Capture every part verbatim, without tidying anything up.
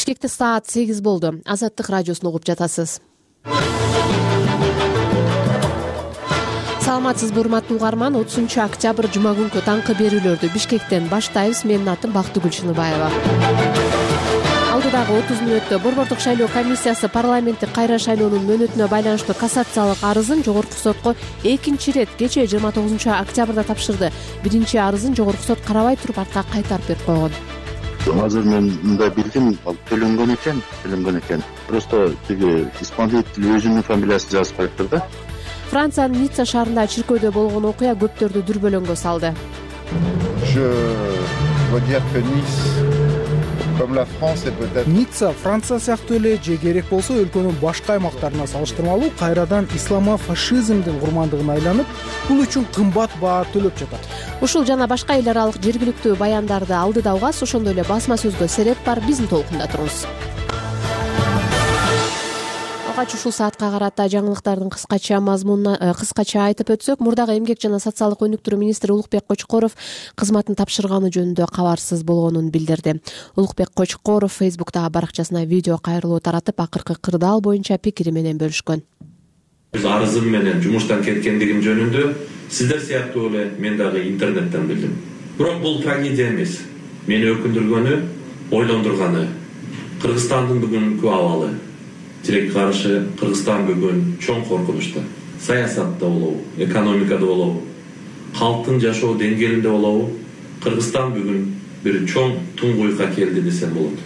Бишкекте саат сегиз болду. Азаттык радиосун угуп жатасыз. Саламатсызбы, урматтуу угарман. отузунчу октябрь жума күнкү таңкы берүүлөрдү Бишкектен баштайбыз. Менин атым Бактыгүл Чыныбаева. Алдыдагы отуз мүнөттө Борбордук шайлоо комиссиясы парламенттик кайра шайлоонун мөөнөтүнө байланыштуу кассациялык арызын жогорку сотко экинчи ирет кечээ жыйырма тогузунчу октябрда тапшырды. Биринчи арызын жогорку сот карабай туруп артка кайтарып берип койгон. Азыр мен мындай билдим, ал төлөнгөн экен, төлөнгөн экен. Просто тиги исполнитель өзүнүн фамилиясын жазып коюптур да. Франциянын Ницца шаарында чиркөөдө болгон окуя көптөрдү дүрбөлөңгө салды. Ницца Франция сыяктуу эле же керек болсо өлкөнүн башка аймактарына салыштырмалуу кайрадан исламофашизмдин курмандыгына айланып, бул үчүн кымбат баа төлөп жатат. Ушул жана башка эл аралык жергиликтүү баяндарды алдыда угас, ошондой эле басма сөзгө сереп бар. Биздин толкунда туруңуз. Алгач ушул саатка карата жаңылыктардын кыскача мазмунуна кыскача айтып өтсөк, мурдагы эмгек жана социалдык өнүктүрүү министри Улукбек Кочкоров кызматын тапшырганы жөнүндө кабарсыз болгонун билдирди. Улукбек Кочкоров Фейсбуктагы баракчасына видео кайрылуу таратып, акыркы кырдаал боюнча пикири менен бөлүшкөн. Биз арызым менен жумуштан кеткендигим жөнүндө сиздер сыяктуу эле мен дагы интернеттен билдим. Бирок бул трагедия эмес. Мени өкүндүргөнү, ойлондурганы Кыргызстандын бүгүнкү абалы. Тилекке каршы Кыргызстан бүгүн чоң коркунучта. Саясатта болобу, экономикада болобу, калктын жашоо деңгээлинде болобу, Кыргызстан бүгүн бир чоң туңгуйга келди десем болот.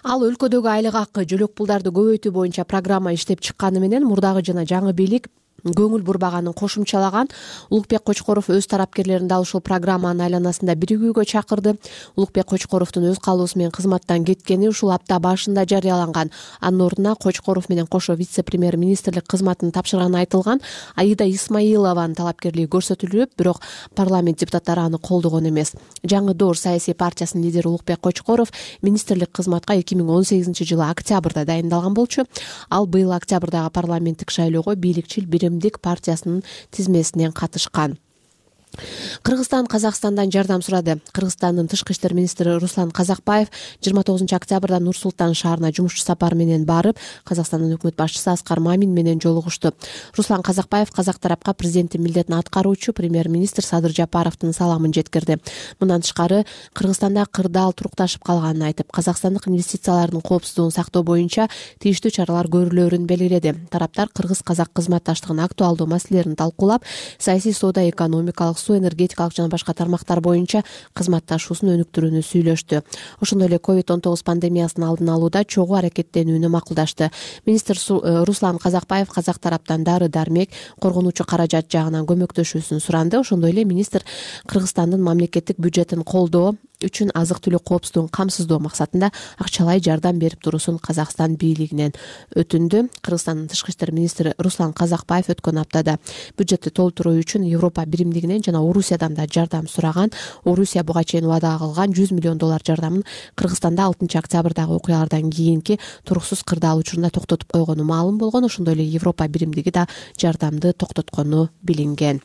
Ал өлкөдөгү айлык акы, жөлөк пулдарды көбөйтүү боюнча программа иштеп чыкканы менен мурдагы жана жаңы бийлик көңүл бурбаганын кошумчалаган. Улукбек Кочкоров өз тарапкерлерин дал ушул программанын айланасында биригүүгө чакырды. Улукбек Кочкоровдун өз каалоосу менен кызматтан кеткени ушул апта башында жарыяланган. Анын ордуна Кочкоров менен кошо вице-премьер-министрлик кызматын тапшырганы айтылган. Аида Исмаилованын талапкерлиги көрсөтүлүп, бирок парламент депутаттары аны колдогон эмес. Жаңы Доор саясий партиясынын лидери Улукбек Кочкоров министрлик кызматка эки миң он сегизинчи жылы октябрда дайындалган болчу. Ал быйыл октябрдагы парламенттик шайлоого бийликчил Биримдик партиясынын тизмесинен катышкан. Кыргызстан Казакстандан жардам сурады. Кыргызстандын тышкы иштер министри Руслан Казакбаев жыйырма тогузунчу октябрда Нур-Султан шаарына жумушчу сапар менен барып, Казакстандын өкмөт башчысы Аскар Мамин менен жолугушту. Руслан Казакбаев казак тарапка президенттин милдетин аткаруучу премьер-министр Садыр Жапаровдун саламын жеткирди. Мындан тышкары Кыргызстанда кырдаал турукташып калганын айтып, казакстандык инвестициялардын коопсуздугун сактоо боюнча тийиштүү чаралар көрүлөрүн белгиледи. Тараптар кыргыз-казак кызматташтыгынын актуалдуу маселелерин талкуулап, саясий, соода, экономикалык, суу энергетикалык жана башка тармактар боюнча кызматташуусун өнүктүрүүнү сүйлөштү. Ошондой эле ковид он тогуз пандемиясынын алдын алууда чогуу аракеттенүүнү макулдашты. Министр Руслан Казакбаев казак тараптан дары-дармек, коргонуучу каражат жагынан көмөктөшүүсүн суранды. Ошондой эле министр Кыргызстандын мамлекеттик бюджетин колдоо үчүн азык-түлүк коопсуздугун камсыздоо максатында акчалай жардам берип туруусун Казакстан бийлигинен өтүндү. Кыргызстандын тышкы иштер министри Руслан Казакбаев өткөн аптада бюджетти толтуруу үчүн Европа биримдигинен жана Орусиядан да жардам сураган. Орусия буга чейин убада кылган жүз миллион доллар жардамын Кыргызстанда алтынчы октябрдагы окуялардан кийинки туруксуз кырдаал учурунда токтотуп койгону маалым болгон. Ошондой эле Европа биримдиги да жардамды токтоткону билинген.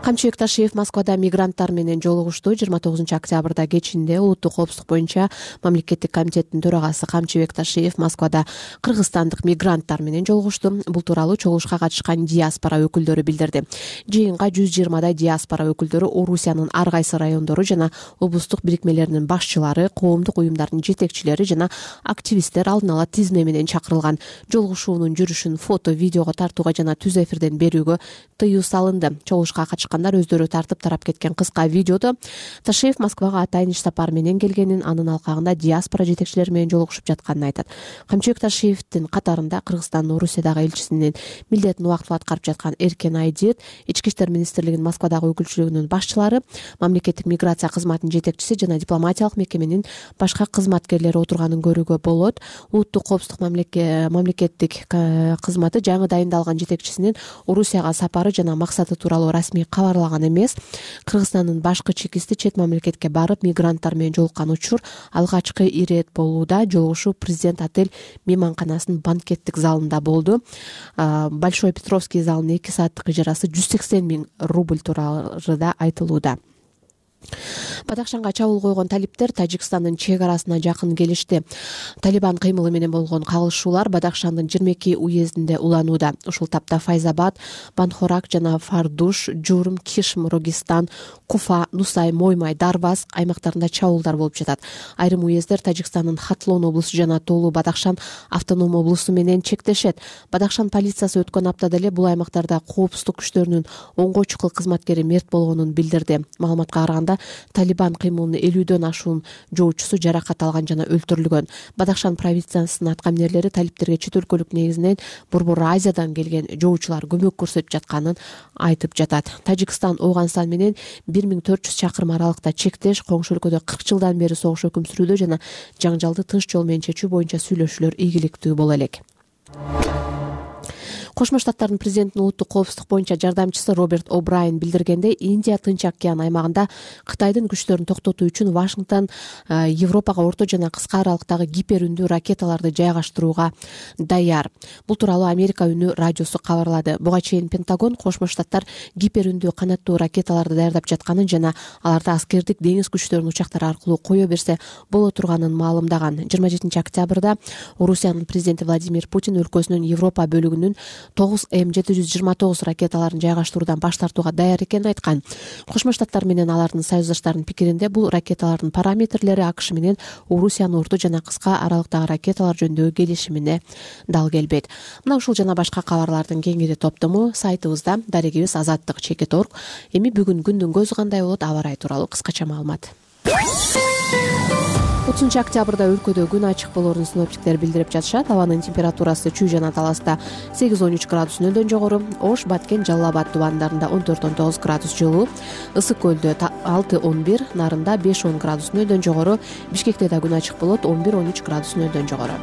Камчыбек Ташиев Москвада мигранттар менен жолугушту. жыйырма тогузунчу октябрда кечинде улуттук коопсуздук боюнча мамлекеттик комитеттин төрагасы Камчыбек Ташиев Москвада кыргызстандык мигранттар менен жолугушту. Бул тууралуу чогулушка катышкан диаспора өкүлдөрү билдирди. Жыйынга жүз жыйырмадай диаспора өкүлдөрү Орусиянын ар кайсы райондору жана облустук бирикмелеринин башчылары, коомдук уюмдардын жетекчилери жана активисттер алдын ала тизме менен чакырылган. Жолугушуунун жүрүшүн фото, видеого тартууга жана түз эфирден берүүгө тыюу салынды. Чогулушка катышкандар өздөрү тартып тарап кеткен кыска видеодо Ташиев Москвага атайын иш сапар менен келгенин, анын алкагында диаспора жетекчилери менен жолугушуп жатканын айтат. Камчыбек Ташиевдин катарында Кыргызстандын Орусиядагы элчисинин милдетин убактылуу аткарып жаткан Эркен Айдет, Ички иштер министрлигинин Москвадагы өкүлчүлүгүнүн башчылары, мамлекеттик миграция кызматынын жетекчиси жана дипломатиялык мекеменин башка кызматкерлери отурганын көрүүгө болот. Улуттук коопсуздук мамлекеттик кызматы жаңы дайындалган жетекчисинин Орусияга сапары жана максаты тууралуу расмий кабарлаган эмес. Кыргызстандын башкы чекисти чет мамлекетке барып мигранттар менен жолуккан учур алгачкы ирет болууда. Жолугушуу президент отель мейманканасынын банкеттик залында болду. Большой Петровский залынын эки сааттык ижарасы жүз сексен миң рубль тууралуу да айтылууда. Бадахшанга чабуул койгон талиптер Тажикстандын чек арасына жакын келишти. Талибан кыймылы менен болгон кагылышуулар Бадахшандын жыйырма эки уездинде уланууда. Ушул тапта Файзабад, Банхорак жана Фардуш, Журм, Кишм, Рогистан, Куфа, Нусай, Моймай, Дарбаз аймактарында чабуулдар болуп жатат. Айрым уездер Тажикстандын Хатлон облусу жана Толу Бадахшан автоном облусу менен чектешет. Бадахшан полициясы өткөн аптада эле бул аймактарда коопсуздук күчтөрүнүн оңгой чукул кызматкери мерт болгонун билдирди. Маалыматка караганда, Талибан кыймылынын элүүдөн ашуун жоочусу жаракат алган жана өлтүрүлгөн. Бадахшан провинциясынын аткаминерлери талиптерге чет өлкөлүк негизинен Борбор Азиядан келген жоочулар көмөк көрсөтүп жатканын айтып жатат. Тажикстан Ооганстан менен бир миң төрт жүз чакырым аралыкта чектеш, коңшу өлкөдө кырк жылдан бери согуш өкүм сүрүүдө жана жаңжалды тынч жол менен чечүү боюнча сүйлөшүүлөр ийгиликтүү боло элек. Кошмо Штаттардын президентинин улуттук коопсуздук боюнча жардамчысы Роберт О'Брайен билдиргендей, Индия Тынч океан аймагында Кытайдын күчтөрүн токтотуу үчүн Вашингтон Европага орто жана кыска аралыктагы гипер үндүү ракеталарды жайгаштырууга даяр. Бул тууралуу Америка үнү радиосу кабарлады. Буга чейин Пентагон Кошмо Штаттар гипер үндүү канаттуу ракеталарды даярдап жатканын жана аларды аскердик деңиз күчтөрүнүн учактары аркылуу кое берсе боло турганын маалымдаган. жыйырма жетинчи октябрда Орусиянын президенти Владимир Путин өлкөсүнүн Европа бөлүгүнүн тогуз М жети жүз жыйырма тогуз ракеталарын жайгаштыруудан баш тартууга даяр экенин айткан. Кошмо Штаттар менен алардын союздаштарынын пикиринде бул ракеталардын параметрлери АКШ менен Орусиянын орто жана кыска аралыктагы ракеталар жөнүндөгү келишимине дал келбейт. Мына ушул жана башка кабарлардын кеңири топтому сайтыбызда, дарегибиз азаттык чекит точка орг. Эми бүгүн күндүн көзү кандай болот, аба ырайы тууралуу кыскача маалымат. отузунчу октябрда өлкөдө күн ачык болоорун синоптиктер билдирип жатышат. Абанын температурасы Чүй жана Таласта сегиз он үч градус нөлдөн жогору, Ош, Баткен, Жалал Абад тубандарында он төрт он тогуз градус жылуу, Ысык көлдө алты он бир, Нарында беш он градус нөлдөн жогору, Бишкекте да күн ачык болот, он бир он үч градус нөлдөн жогору.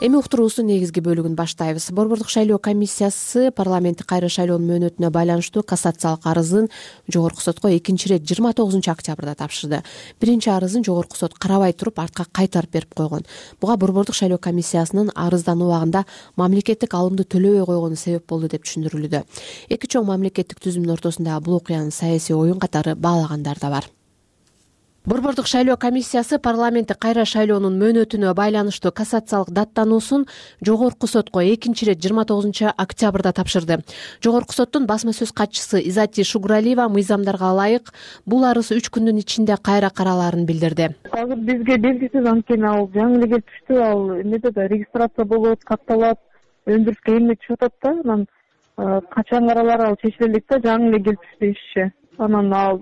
Эми уктуруубуздун негизги бөлүгүн баштайбыз. Борбордук шайлоо комиссиясы парламенттик кайра шайлоонун мөөнөтүнө байланыштуу кассациялык арызын жогорку сотко экинчи ирет жыйырма тогузунчу октябрда тапшырды. Биринчи арызын жогорку сот карабай туруп артка кайтарып берип койгон. Буга борбордук шайлоо комиссиясынын арыздануу убагында мамлекеттик алымды төлөбөй койгону себеп болду деп түшүндүрүлүүдө. Эки чоң мамлекеттик түзүмдүн ортосундагы бул окуянын саясий оюн катары баалагандар да бар. Борбордук шайлоо комиссиясы парламенттик кайра шайлоонун мөөнөтүнө байланыштуу кассациялык даттануусун жогорку сотко экинчи ирет жыйырма тогузунчу октябрда тапшырды. Жогорку соттун басма сөз катчысы Изати Шугуралиева мыйзамдарга ылайык бул арыз үч күндүн ичинде кайра каралаарын билдирди. Азыр бизге белгисиз анткени ал жаңы эле келип түштү, ал эмнеде да регистрация болот, катталат, өндүрүскө эмне түшүп атат да, анан качан каралар ал чечиле элек да, жаңы эле келип түштү ишче. Анан ал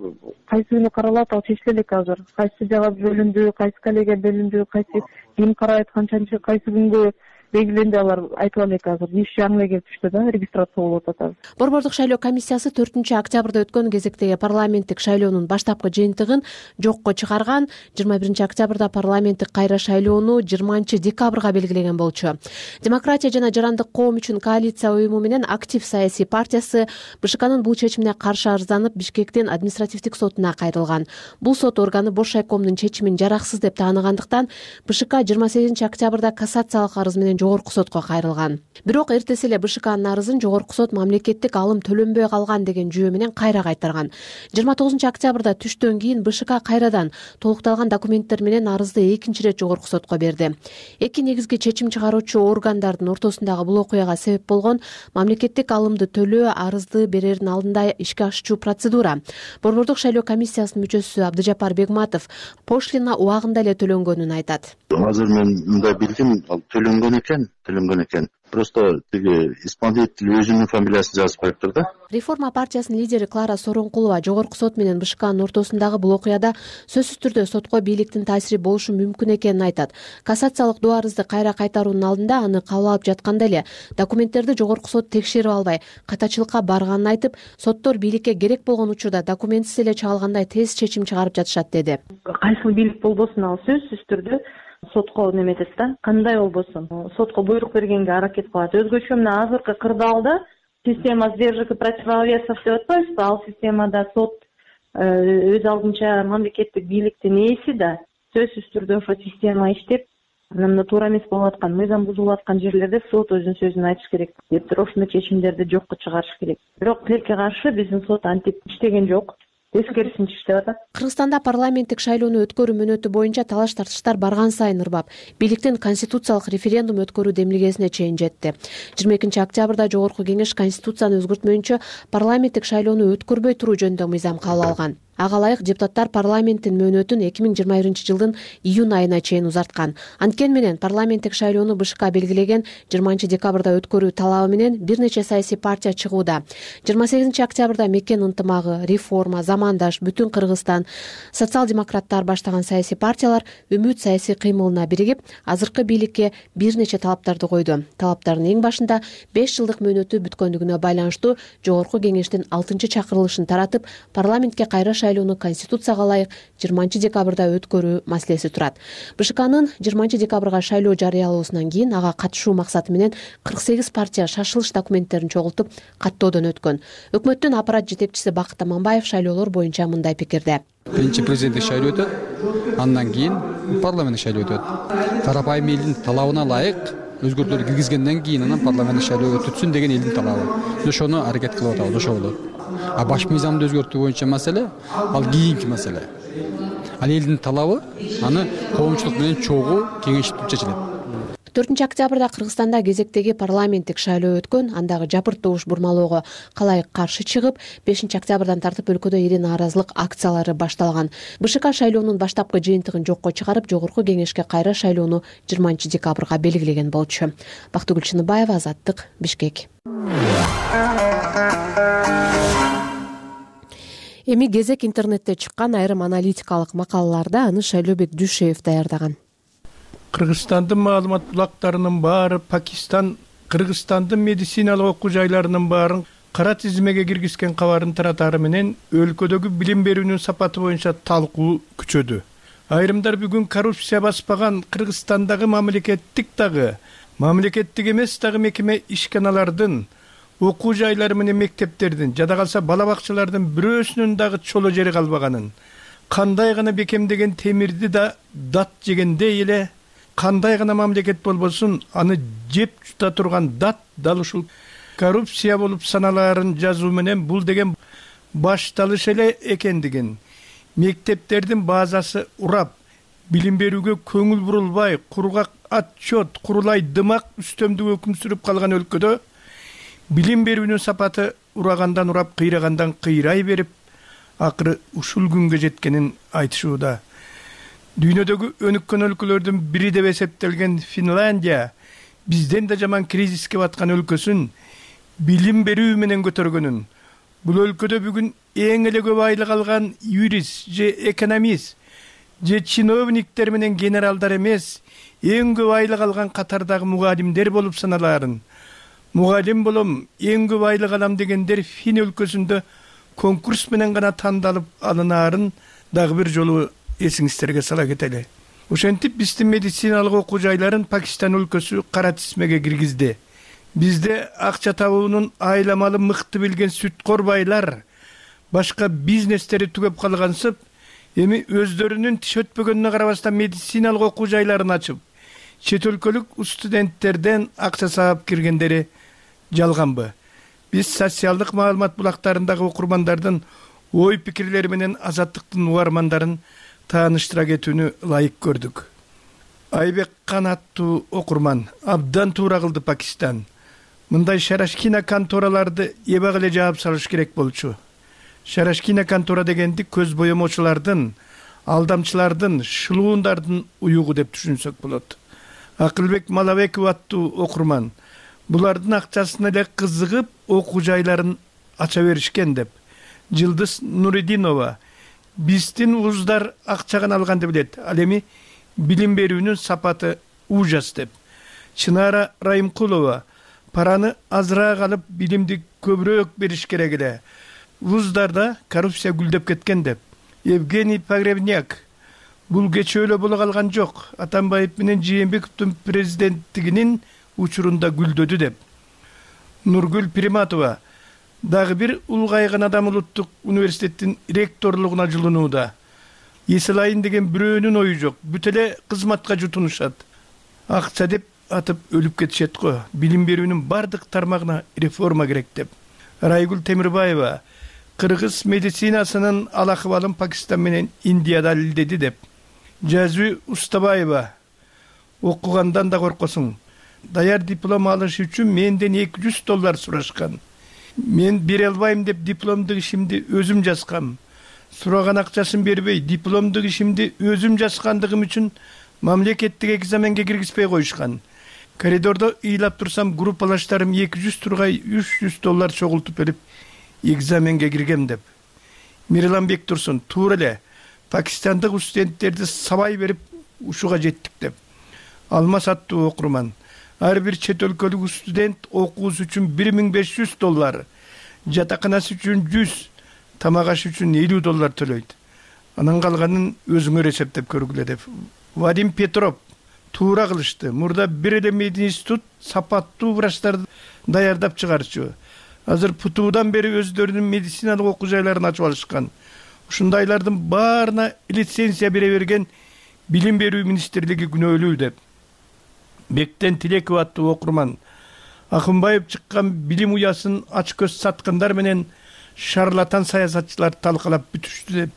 кайсы күнү каралат, ал чечиле элек азыр. Кайсы жага бөлүндү, кайсы коллега бөлүндү, кайсы ким карайт, канчанчы кайсы күнгө белгиленди, алар айтып элек азыр. Иш жаңы эле келип түштү да, регистрация болуп атат азыр. Борбордук шайлоо комиссиясы төртүнчү октябрда өткөн кезектеги парламенттик шайлоонун баштапкы жыйынтыгын жокко чыгарган. жыйырма биринчи октябрда парламенттик кайра шайлоону жыйырманчы декабрга белгилеген болчу. Демократия жана жарандык коом үчүн коалиция уюму менен Актив саясий партиясы БШКнын бул чечимине каршы арызданып, Бишкектин административдик сотуна кайрылган. Бул сот органы Бош шайкомдун чечимин жараксыз деп тааныгандыктан БШК жыйырма сегизинчи октябрда кассациялык арыз менен жогорку сотко кайрылган. Бирок эртеси эле БШКнын арызын жогорку сот мамлекеттик алым төлөнбөй калган деген жүйө менен кайра кайтарган. жыйырма тогузунчу октябрда түштөн кийин БШК кайрадан толукталган документтер менен арызды экинчи ирет жогорку сотко берди. Эки негизги чечим чыгаруучу органдардын ортосундагы бул окуяга себеп болгон мамлекеттик алымды төлөө арызды берердин алдында ишке ашуучу процедура. Борбордук шайлоо комиссиясынын мүчөсү Абдыжапар Бегматов пошлина убагында эле төлөнгөнүн айтат. Азыр мен мындай билдим, ал төлөнгөн экен, төлөнгөн экен. Просто тиги исполнитель өзүнүн фамилиясын жазып коюптур да. Реформа партиясынын лидери Клара Соронкулова жогорку сот менен БШКнын ортосундагы бул окуяда сөзсүз түрдө сотко бийликтин таасири болушу мүмкүн экенин айтат. Кассациялык доо арызды кайра кайтаруунун алдында аны кабыл алып жатканда эле документтерди жогорку сот текшерип албай катачылыкка барганын айтып, соттор бийликке керек болгон учурда документсиз эле чагылгандай тез чечим чыгарып жатышат деди. Кайсыл бийлик болбосун, ал сөзсүз түрдө сотко неметет да, кандай болбосун сотко буйрук бергенге аракет кылат. Өзгөчө мына азыркы кырдаалда система сдержек и противовесов деп атпайбызбы, ал системада сот өз алдынча мамлекеттик бийликтин ээси да сөзсүз түрдө ошо система иштеп, Анан мына туура эмес болуп аткан, мыйзам бузулуп аткан жерлерде сот өзүнүн сөзүн айтыш керек деп туруп ошондой чечимдерди жокко чыгарыш керек. Бирок тилекке каршы биздин сот антип иштеген жок. Тескерисинче иштеп атат. Кыргызстанда парламенттик шайлоону өткөрүү мөөнөтү боюнча талаш тартыштар барган сайын ырбап, бийликтин конституциялык референдум өткөрүү демилгесине чейин жетти. жыйырма экинчи октябрда Жогорку Кеңеш конституцияны өзгөртмөйүнчө парламенттик шайлоону өткөрбөй туруу жөнүндө мыйзам кабыл алган. Ага ылайык депутаттар парламенттин мөөнөтүн эки миң жыйырма биринчи жылдын июнь айына чейин узарткан. Анткени менен парламенттик шайлоону БШК белгилеген жыйырманчы декабрда өткөрүү талабы менен бир нече саясий партия чыгууда. жыйырма сегизинчи октябрда Мекен ынтымагы, Реформа, Замандаш, Бүтүн Кыргызстан, социал-демократтар баштаган саясий партиялар Үмүт саясий кыймылына биригип, азыркы бийликке бир нече талаптарды койду. Талаптардын эң башында беш жылдык мөөнөтү бүткөндүгүнө байланыштуу Жогорку Кеңештин алтынчы чакырылышын таратып, парламентке кайра шайлоону конституцияга ылайык жыйырманчы декабрда өткөрүү маселеси турат. БШКнын жыйырманчы декабрга шайлоо жарыялоосунан кийин ага катышуу максаты менен кырк сегиз партия шашылыш документтерин чогултуп каттоодон өткөн. Өкмөттүн аппарат жетекчиси Бакыт Аманбаев шайлоолор боюнча мындай пикирде. Биринчи президенттик шайлоо өтөт, андан кийин парламенттик шайлоо өтөт. Тарапайым элдин талабына ылайык өзгөртүүлөр киргизгенден кийин анан парламенттик шайлоо өтүтсүн деген элдин талабы. Ошону аракет кылып атабыз, ошо болот. А баш мыйзамды өзгөртүү боюнча маселе ал кийинки маселе. Ал элдин талабы аны коомчулук менен чогуу кеңешип чечилет. төртүнчү октябрда Кыргызстанда кезектеги парламенттик шайлоо өткөн, андагы жапырт добуш бурмалоого калай каршы чыгып, бешинчи октябрдан тартып өлкөдө ири нааразылык акциялары башталган. БШК шайлоонун баштапкы жыйынтыгын жокко чыгарып, Жогорку Кеңешке кайра шайлоону жыйырманчы декабрга белгилеген болчу. Бактыгүл Чыныбаева, Азаттык, Бишкек. Эми кезек интернетте чыккан айрым аналитикалык макалаларда аны Шайлообек Дүйшеев даярдаган. Кыргызстандын маалымат булактарынын баары Пакистан, Кыргызстандын медициналык окуу жайларынын баарын кара тизмеге киргизген кабарын таратары менен өлкөдөгү билим берүүнүн сапаты боюнча талкуу күчөдү. Айрымдар бүгүн коррупция баспаган Кыргызстандагы мамлекеттик дагы, мамлекеттик эмес дагы мекеме ишканалардын, окуу жайлары менен мектептердин, жада калса бала бакчалардын бирөөсүнүн дагы чоло жери калбаганын, кандай гана бекемдеген темирди да дат жегендей эле, кандай гана мамлекет болбосун аны жеп жута турган дат дал ушул коррупция болуп саналаарын жазуу менен бул деген башталыш эле экендигин, мектептердин базасы урап, билим берүүгө көңүл бурулбай, кургак отчет, курулай дымак үстөмдүк өкүм сүрүп калган өлкөдө билим берүүнүн сапаты урагандан урап, кыйрагандан кыйрай берип, акыры ушул күнгө жеткенин айтышууда. Дүйнөдөгү өнүккөн өлкөлөрдүн бири деп эсептелген Финляндия бизден да жаман кризиске баткан өлкөсүн билим берүү менен көтөргөнүн, бул өлкөдө бүгүн эң эле көп айлык алган юрист же экономист же чиновниктер менен генералдар эмес, эң көп айлык алган катардагы мугалимдер болуп саналаарын, мугалим болом, эң көп айлык алам дегендер Фин өлкөсүндө конкурс менен гана тандалып алынаарын дагы бир жолу эсиңиздерге сала кетели. Ошентип биздин медициналык окуу жайларын Пакистан өлкөсү кара тизмеге киргизди. Бизде акча табуунун айламалы мыкты билген сүткор байлар, башка бизнестери түгөп калгансып, эми өздөрүнүн тиш өтпөгөнүнө карабастан медициналык окуу жайларын ачып, чет өлкөлүк студенттерден акча саап киргендери жалганбы? Биз социалдык маалымат булактарындагы окурмандардын ой пикирлери менен Азаттыктын угармандарын тааныштыра кетүүнү ылайык көрдүк. Айбек Канаттуу окурман абдан туура кылды Пакистан. Мындай шарашкина контораларды эбак эле жаап салыш керек болчу. Шарашкина контора дегенди көз боемочулардын, алдамчылардын, шылуундардын уюгу деп түшүнсөк болот. Акылбек Малабеков аттуу окурман булардын акчасына эле кызыгып окуу жайларын ача беришкен деп. Жылдыз Нуридинова биздин вуздар акчадан алганды билет, ал эми билим берүүнүн сапаты ужас деп. Чынара Райымкулова параны азыраак алып билимди көбүрөөк бериш керек эле. Вуздарда коррупция гүлдөп кеткен деп. Евгений Погребняк бул кечөөлө боло калган жок, Атамбаев менен Жээнбековдун президенттигинин учурунда гүлдөдү деп. Нургүл Приматова дагы бир улгайган адам улуттук университеттин ректорлугуна жылынууда. Эселайын деген бирөөнүн ою жок, бүт эле кызматка жутунушат. акча деп атып өлүп кетишет го. Билим берүүнүн бардык тармагына реформа керек деп. Райгүл Темирбаева кыргыз медицинасынын ал акыбалын Пакистан менен Индия далилдеди деп. Жазу Устабаева окугандан да коркосуң. Даяр диплом алыш үчүн менден эки жүз доллар сурашкан. Мен бере албайм деп дипломдук ишимди өзүм жазгам. Сураган акчасын бербей дипломдук ишимди өзүм жазгандыгым үчүн мамлекеттик экзаменге киргизбей коюшкан. Коридордо ыйлап турсам, группалаштарым эки жүз тургай үч жүз доллар чогултуп берип экзаменге киргем деп. Мирланбек Турсун туура эле пакистандык студенттерди сабай берип ушуга жеттик деп. Алмаз аттуу окурман. Ар бир чет өлкөлүк студент окуусу үчүн бир миң беш жүз доллар, жатаканасы үчүн жүз, тамак аш үчүн элүү доллар төлөйт. Анан калганын өзүңөр эсептеп көргүлө деп. Вадим Петров туура кылышты. Мурда бир эле мединститут сапаттуу врачтарды даярдап чыгарчу. Азыр ПТУдан бери өздөрүнүн медициналык окуу жайларын ачып алышкан. Ушундайлардын баарына лицензия бере берген Билим берүү министрлиги күнөөлүү деп. Бектен Тилеков аттуу окурман. Акынбаев чыккан билим уясын ач көз саткандар менен шарлатан саясатчылар талкалап бүтүштү деп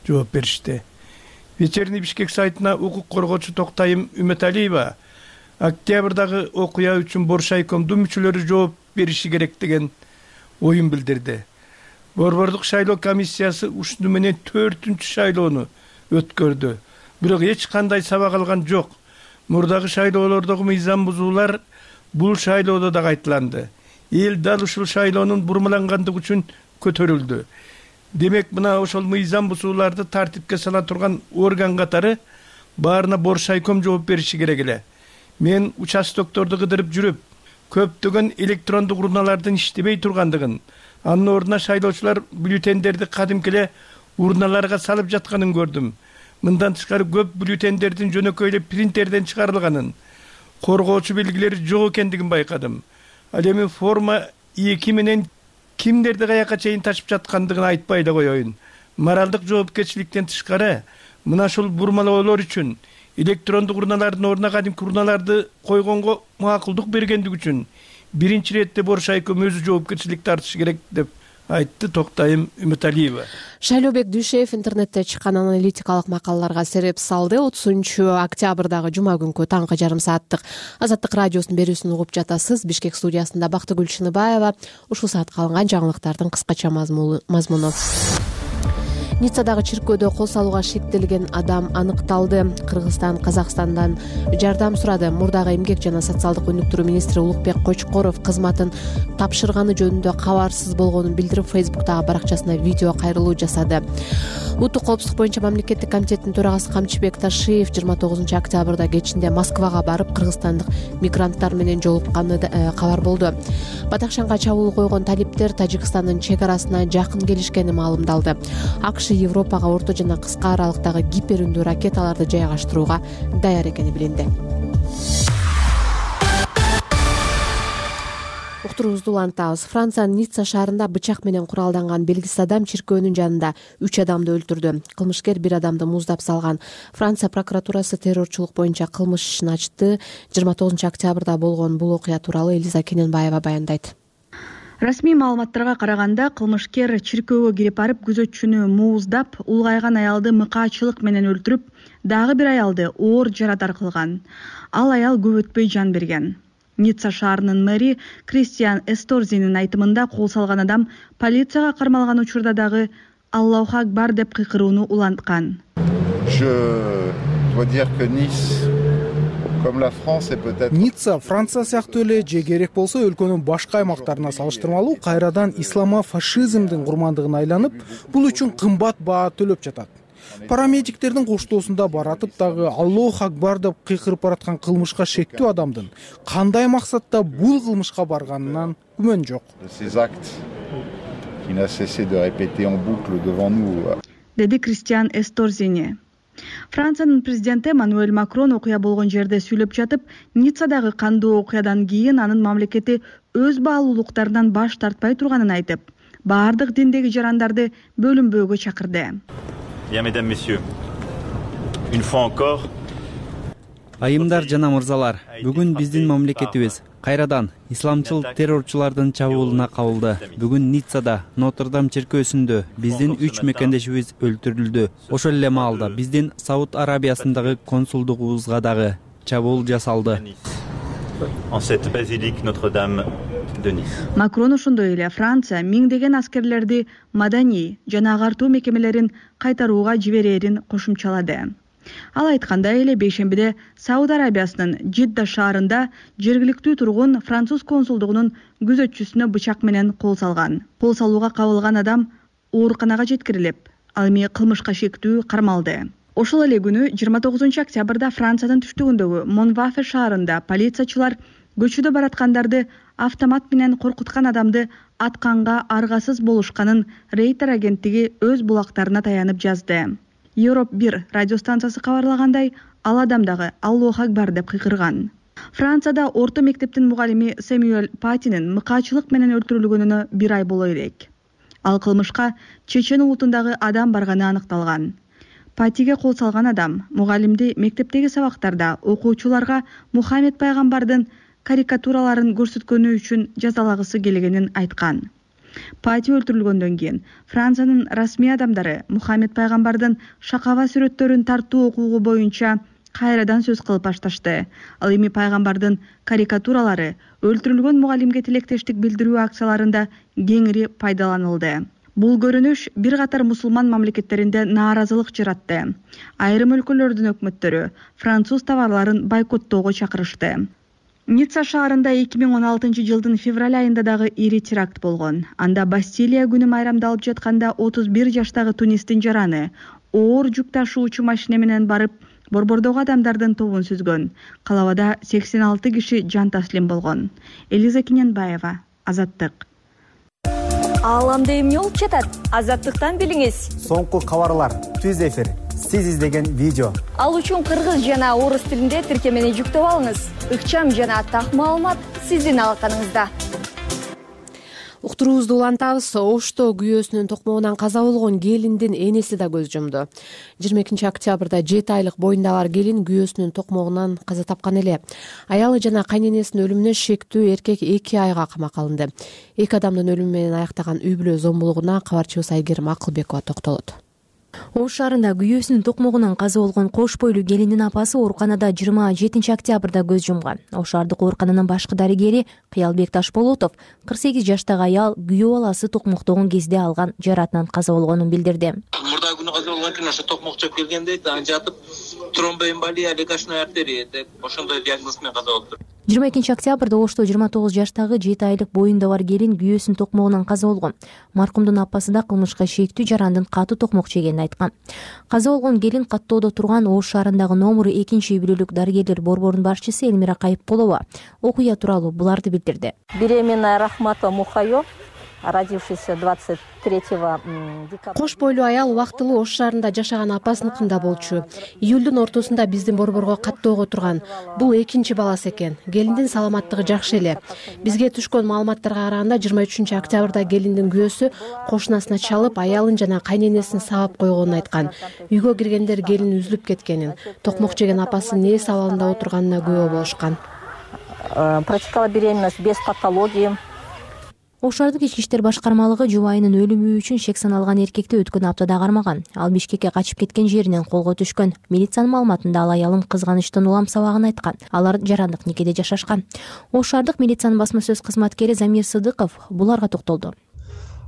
жооп беришти. Вечерний Бишкек сайтына укук коргоочу Токтайым Үмөталиева октябрдагы окуя үчүн Боршайкомдун мүчөлөрү жооп бериши керек деген оюн билдирди. Борбордук шайлоо комиссиясы ушуну менен төртүнчү шайлоону өткөрдү. Бирок эч кандай сабак алган жок. Мурдагы шайлоолордогу мыйзам бузуулар бул шайлоодо да кайталанды. Эл дал ушул шайлоонун бурмалангандыгы үчүн көтөрүлдү. Демек, мына ошол мыйзам бузууларды тартипке сала турган орган катары баарына Боршайком жооп бериши керек эле. Мен участокторду кыдырып жүрүп, көптөгөн электрондук урналардын иштебей тургандыгын, анын ордуна шайлоочулар бюллетендерди кадимки эле урналарга салып жатканын көрдүм. Мындан тышкары көп бюллетендердин жөнөкөй эле принтерден чыгарылганын, коргоочу белгилери жок экендигин байкадым. Ал эми форма эки менен кимдерди каяка чейин ташып жаткандыгын айтпай эле коеюн. Моралдык жоопкерчиликтен тышкары мына ушул бурмалоолор үчүн электрондук урналардын ордуна кадимки урналарды койгонго макулдук бергендиги үчүн биринчи иретте Боршайком өзү жоопкерчилик тартышы керек деп айтты Токтайым Үмөталиева. Шайлообек Дүйшеев интернетте чыккан аналитикалык макалаларга сереп салды. отузунчу октябрдагы жума күнкү таңкы жарым сааттык Азаттык радиосунун берүүсүн угуп жатасыз. Бишкек студиясында Бактыгүл Чыныбаева. Ушул саатка алынган жаңылыктардын кыскача мазмуну. Ниццадагы чиркөөдө кол салууга шектелген адам аныкталды. Кыргызстан Казакстандан жардам сурады. Мурдагы эмгек жана социалдык өнүктүрүү министри Улукбек Кочкоров кызматын тапшырганы жөнүндө кабарсыз болгонун билдирип, Фейсбуктагы баракчасына видео кайрылуу жасады. Улуттук коопсуздук боюнча мамлекеттик комитеттин төрагасы Камчыбек Ташиев жыйырма тогузунчу октябрда кечинде Москвага барып, кыргызстандык мигранттар менен жолукканы кабар болду. Батакшанга чабуул койгон талиптер Тажикстандын чек арасына жакын келишкени маалымдалды. АКШ Европага орто жана кыска аралыктагы гиперүндүү ракеталарды жайгаштырууга даяр экени билинди. Уктуруубузду улантабыз. Франциянын Ницца шаарында бычак менен куралданган белгисиз адам чиркөөнүн жанында үч адамды өлтүрдү. Кылмышкер бир адамды муздап салган. Франция прокуратурасы террорчулук боюнча кылмыш ишин ачты. жыйырма тогузунчу октябрда болгон бул окуя тууралуу Элиза Кененбаева баяндайт. Расмий маалыматтарга караганда, кылмышкер чиркөөгө кирип барып, күзөтчүнү мууздап, улгайган аялды мыкаачылык менен өлтүрүп, дагы бир аялды оор жарадар кылган. Ал аял көп өтпөй жан берген. Ницца шаарынын мэри Кристиан Эсторзинин айтымында, кол салган адам полицияга кармалган учурда дагы Аллаху акбар деп кыйкырууну уланткан. Ницца Франция сыяктуу эле же керек болсо өлкөнүн башка аймактарына салыштырмалуу кайрадан исламофашизмдин курмандыгына айланып, бул үчүн кымбат баа төлөп жатат. Парамедиктердин коштоосунда баратып дагы Аллаху акбар деп кыйкырып бараткан кылмышка шектүү адамдын кандай максатта бул кылмышка барганынан күмөн жок. Деди Кристиан Эсторзини. Франциянын президенти Эммануэль Макрон окуя болгон жерде сүйлөп жатып, Ниццадагы кандуу окуядан кийин анын мамлекети өз баалуулуктарынан баш тартпай турганын айтып, баардык диндеги жарандарды бөлүнбөөгө чакырды. Айымдар жана мырзалар, бүгүн биздин мамлекетибиз кайрадан исламчыл террорчулардын чабуулуна кабылды. Бүгүн Ниццада Нотр-Дам чиркөөсүндө биздин үч мекендешибиз өлтүрүлдү. Ошол эле маалда биздин Сауд Арабиясындагы консулдугубузга дагы чабуул жасалды. Макрон ошондой эле Франция миңдеген аскерлерди маданий жана агартуу мекемелерин кайтарууга жиберерин кошумчалады. Ал айткандай эле бейшембиде Сауд Арабиясынын Жидда шаарында жергиликтүү тургун француз консулдугунун күзөтчүсүнө бычак менен кол салган. Кол салууга кабылган адам ооруканага жеткирилип, ал эми кылмышка шектүү кармалды. Ошол эле күнү жыйырма тогузунчу октябрда Франциянын түштүгүндөгү Монвафе шаарында полициячылар көчөдө бараткандарды автомат менен коркуткан адамды атканга аргасыз болушканын Рейтер агенттиги өз булактарына таянып жазды. Европ бир радиостанциясы кабарлагандай, ал адам дагы Аллох акбар деп кыйкырган. Францияда орто мектептин мугалими Сэмюэль Патинин мыкаачылык менен өлтүрүлгөнүнө бир ай боло элек. Ал кылмышка чечен улутундагы адам барганы аныкталган. Патиге кол салган адам мугалимди мектептеги сабактарда окуучуларга Мухаммед пайгамбардын карикатураларын көрсөткөнү үчүн жазалагысы келгенин айткан. Пати өлтүрүлгөндөн кийин Франциянын расмий адамдары Мухаммед пайгамбардын шакаба сүрөттөрүн тартуу окуугу боюнча кайрадан сөз кылып башташты. Ал эми пайгамбардын карикатуралары өлтүрүлгөн мугалимге тилектештик билдирүү акцияларында кеңири пайдаланылды. Бул көрүнүш бир катар мусулман мамлекеттеринде нааразылык жаратты. Айрым өлкөлөрдүн өкмөттөрү француз товарларын бойкоттоого чакырышты. Ницца шаарында эки миң он алтынчы жылдын февраль айында дагы ири теракт болгон. Анда Бастилия күнү майрамдалып жатканда отуз бир жаштагы тунистин жараны оор жүк ташуучу машина менен барып борбордогу адамдардын тобун сүзгөн. Калабада сексен алты киши жан таслим болгон. Элиза Киненбаева, Азаттык. Ааламда эмне болуп жатат? Азаттыктан билиңиз. Соңку кабарлар, түз эфир, сиз издеген видео. Ал үчүн кыргыз жана орус тилинде тиркемени жүктөп алыңыз. Ыкчам жана так маалымат сиздин алаканыңызда. Уктуруубузду улантабыз. Ошто күйөөсүнүн токмогунан каза болгон келиндин энеси да көз жумду. жыйырма экинчи октябрда жети айлык боюнда бар келин күйөөсүнүн токмогунан каза тапкан эле. Аялы жана кайненесинин өлүмүнө шектүү эркек эки айга камакка алынды. Эки адамдын өлүмү менен аяктаган үй бүлө зомбулугуна кабарчыбыз Айгерим Акылбекова токтолот. Ош шаарында күйөөсүнүн токмогунан каза болгон кош бойлуу келиндин апасы ооруканада жыйырма жетинчи октябрда көз жумган. Ош шаардык оорукананын башкы дарыгери Кыялбек Ташболотов кырк сегиз жаштагы аял күйөө баласы токмоктогон кезде алган жаратынан каза болгонун билдирди. Мурдагы күнү каза болгон экен, ошо токмок чөп келгенде жатып тромбоэмболия, легочной артерия деп ошондой диагноз менен каза болуптур. жыйырма экинчи октябрда Ошто жыйырма тогуз жаштагы жети айлык боюнда бар келин күйөөсүнүн токмогунан каза болгон. Маркумдун апасы да кылмышка шектүү жарандын катуу токмок жегенин айткан. Каза болгон келин каттоодо турган Ош шаарындагы номер экинчи үй бүлөлүк дарыгерлер борборунун башчысы Элмира Кайыпкулова окуя тууралуу буларды билдирди. Беременная Рахматова Мухайо, родившийся двадцать третьего декабря. Кош бойлуу аял убактылуу Ош шаарында жашаган апасыныкында болчу. Июлдун ортосунда биздин борборго каттоого турган. Бул экинчи баласы экен. Келиндин саламаттыгы жакшы эле. Бизге түшкөн маалыматтарга караганда жыйырма үчүнчү октябрда келиндин күйөөсү кошунасына чалып, аялын жана кайненесин сабап койгонун айткан. Үйгө киргендер келин үзүлүп кеткенин, токмок жеген апасынын ээс абалында отурганына күбө болушкан. Протекала беременность без патологии. Ош шаардык ички иштер башкармалыгы жубайынын өлүмү үчүн шек саналган эркекти өткөн аптада кармаган. Ал Бишкекке качып кеткен жеринен колго түшкөн. Милициянын маалыматында ал аялын кызганычтан улам сабагын айткан. Алар жарандык никеде жашашкан. Ош шаардык милициянын басма сөз кызматкери Замир Сыдыков буларга токтолду.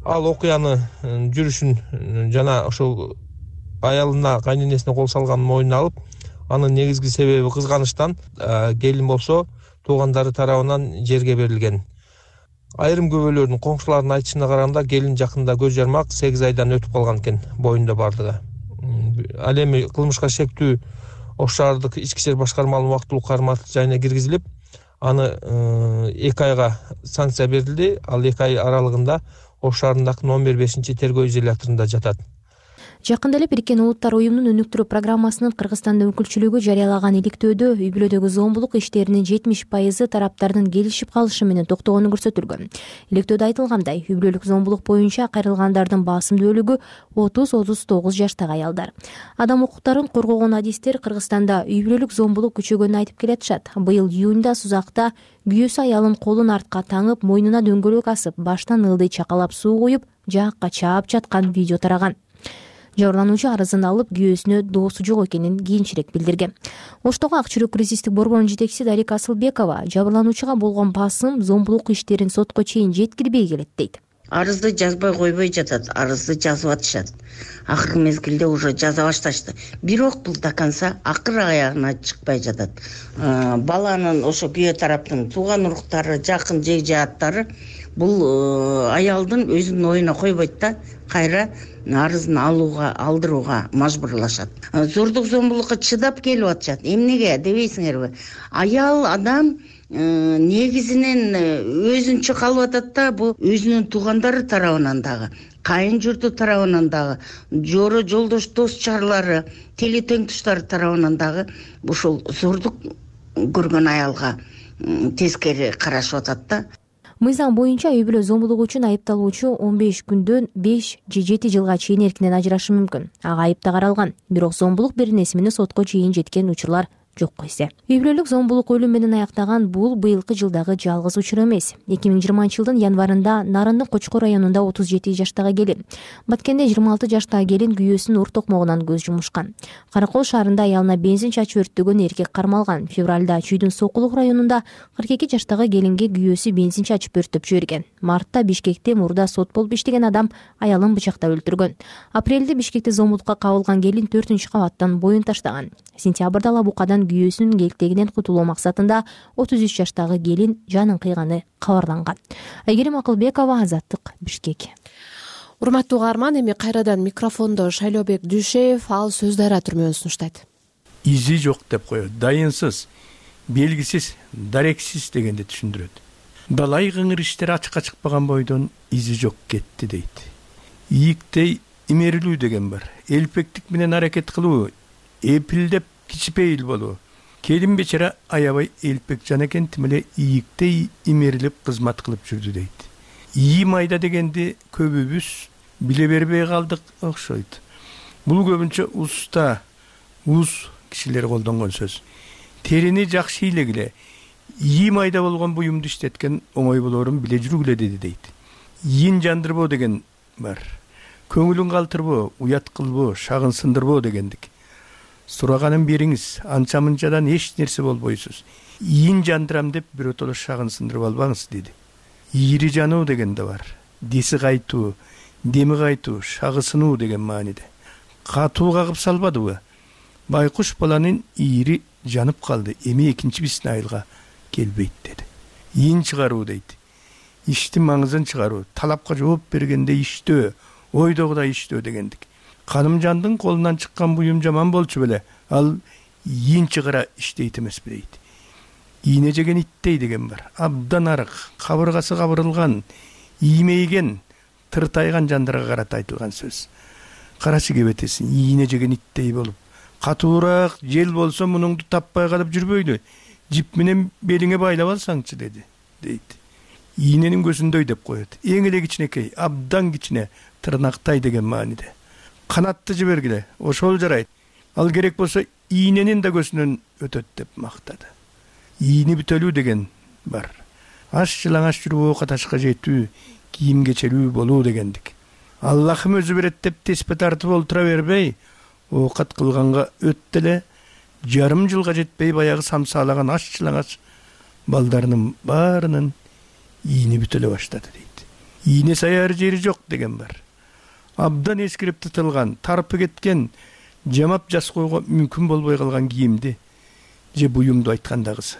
Ал окуяны жүрүшүн жана ошол аялына, кайненесине кол салганын мойнуна алып, анын негизги себеби кызганычтан, келин болсо туугандары тарабынан жерге берилген. Айрым күбөлөрдүн коңшулардын айтышына караганда келин жакында көз жармак сегиз айдан өтүп калган экен, боюнда бардыгы. Ал эми кылмышка шектүү Ош шаардык ички иштер башкармалыгынын убактылуу кармак жайына киргизилип, аны эки айга санкция берилди. Ал эки ай аралыгында Ош шаарындагы номер бешинчи тергөө изоляторунда жатат. Жакында эле Бириккен Улуттар уюмунун өнүктүрүү программасынын Кыргызстанда өкүлчүлүгү жарыялаган иликтөөдө үй бүлөдөгү зомбулук иштеринин жетимиш пайызы тараптардын келишип калышы менен токтогону көрсөтүлгөн. Иликтөөдө айтылгандай, үй бүлөлүк зомбулук боюнча кайрылгандардын басым бөлүгү отуз отуз тогуз жаштагы аялдар. Адам укуктарын коргогон адистер Кыргызстанда үй бүлөлүк зомбулук күчөгөнүн айтып келатышат. Быйыл июнда Сузакта күйөөсү аялын колун артка таңып, мойнуна дөңгөлөк асып, баштан ылдый чакалап суу куюп, жаакка чаап жаткан видео тараган. Жабырлануучу арызын алып, күйөөсүнө доосу жок экенин кийинчерээк билдирген. Оштогу Ак Чүрөк кризистик борборунун жетекчиси Дарика Асылбекова жабырлануучуга болгон басым зомбулук иштерин сотко чейин жеткирбей келет дейт. Арызды жазбай койбой жатат, арызды жазып атышат. Акыркы мезгилде уже жаза башташты. Бирок бул до конца акыр аягына чыкпай жатат. Баланын ошо күйөө тараптын тууган уруктары, жакын жек жааттары бул аялдын өзүнүн оюна койбойт да, кайра арызын алууга, алдырууга мажбурлашат. Зордук зомбулукка чыдап келип атышат. Эмнеге дебейсиңерби? Аял адам негизинен өзүнчө калып атат да, бул өзүнүн туугандары тарабынан дагы, кайын журту тарабынан дагы, жоро жолдош дос чарлары, тили тең туштары тарабынан дагы ушул зордук көргөн аялга тескери карашып атат да. Мыйзам боюнча үй бүлө зомбулугу үчүн айыпталуучу он беш күндөн беш же жети жылга чейин эркинен ажырашы мүмкүн. Ага айып да каралган. Бирок зомбулук беренеси менен сотко чейин жеткен учурлар жокко эсе. Үй бүлөлүк зомбулук өлүм менен аяктаган бул быйылкы жылдагы жалгыз учур эмес. эки миң жыйырманчы жылдын январында Нарындын Кочкор районунда отуз жети жаштагы келин, Баткенде жыйырма алты жаштагы келин күйөөсүнүн ур токмогунан көз жумушкан. Каракол шаарында аялына бензин чачып өрттөгөн эркек кармалган. Февралда Чүйдүн Сокулук районунда кырк эки жаштагы келинге күйөөсү бензин чачып өрттөп жиберген. Мартта Бишкекте мурда сот болуп иштеген адам аялын бычактап өлтүргөн. Апрелде Бишкекте зомбулукка кабылган келин төртүнчү кабаттан боюн таштаган. Сентябрда Лабукадан күйөөсүнүн келтегинен кутулуу максатында отуз үч жаштагы келин жанын кыйганы кабарланган. Айгерим Акылбекова, Азаттык, Бишкек. Урматтуу угарман, эми кайрадан микрофондо Шайлообек Дүйшеев, ал Сөз Дайра түрмөөн сунуштайт. Изи жок деп коет, дайынсыз, белгисиз, дарексиз дегенди түшүндүрөт. Далай кыңыр иштер ачыкка чыкпаган бойдон изи жок кетти дейт. Ийиктей имерилүү деген бар. Элпектик менен аракет кылуу, эпилдеп кичипейил болуу. Келин бечара аябай элпек жан экен, тим эле ийиктей имерилип кызмат кылып жүрдү дейт. Ийи майда дегенди көбүбүз биле бербей калдык окшойт. Бул көбүнчө уста, уз кишилер колдонгон сөз. Терини жакшы илегиле, ийи майда болгон буюмду иштеткен оңой болорун биле жүргүлө деди дейт. Ийин жандырбоо деген бар. Көңүлүн калтырбоо, уят кылбоо, шагын сындырбоо дегендик. Сураганын бериңиз, анча-мынчадан эч нерсе болбойсуз. Ийин жандырам деп биротоло шагын сындырып албаңыз деди. Ийри жануу деген да бар. Деси кайтуу, деми кайтуу, шагы сынуу деген мааниде. Катуу кагып салбадыбы? Байкуш баланын ийри жанып калды, эми экинчи биздин айылга келбейт деди. Ийин чыгаруу дейт. Иштин маңызын чыгаруу, талапка жооп бергенде иштөө, ойдогудай иштөө дегендик. Канымжандын колунан чыккан буюм жаман болчу беле, ал ийин чыгара иштейт эмеспи дейт. Ийне жеген иттей деген бар. Абдан арык, кабыргасы кабырылган, иймейген, тыртайган жандарга карата айтылган сөз. Карачы кебетесин, ийне жеген иттей болуп, катуураак жел болсо мунуңду таппай калып жүрбөйлү. Жип менен белиңе байлап алсаңчы деди, дейт. Ийненин көзүндөй деп коет. Эң эле кичинекей, абдан кичине, тырнактай деген мааниде. Канатты жибергиле, ошол жарайт. Ал керек болсо ийненин да көзүнөн өтөт деп мактады. Ийни бүтөлүү деген бар. Аш жылаңаш жүрүп ока ташка жетүү, кийим кечелүү болуу дегендик. Аллахым өзү берет деп теспе тартып олтура бербей, оокат кылганга өт деле, жарым жылга жетпей баягы самсаалаган аш жылаңаш балдарынын баарынын ийни бүтөлө баштады дейт. Ийне саяр жери жок деген бар. Абдан эскирип тытылган, тарпы кеткен, жамап жас койго мүмкүн болбой калган кийимди же буюмду айткандагысы.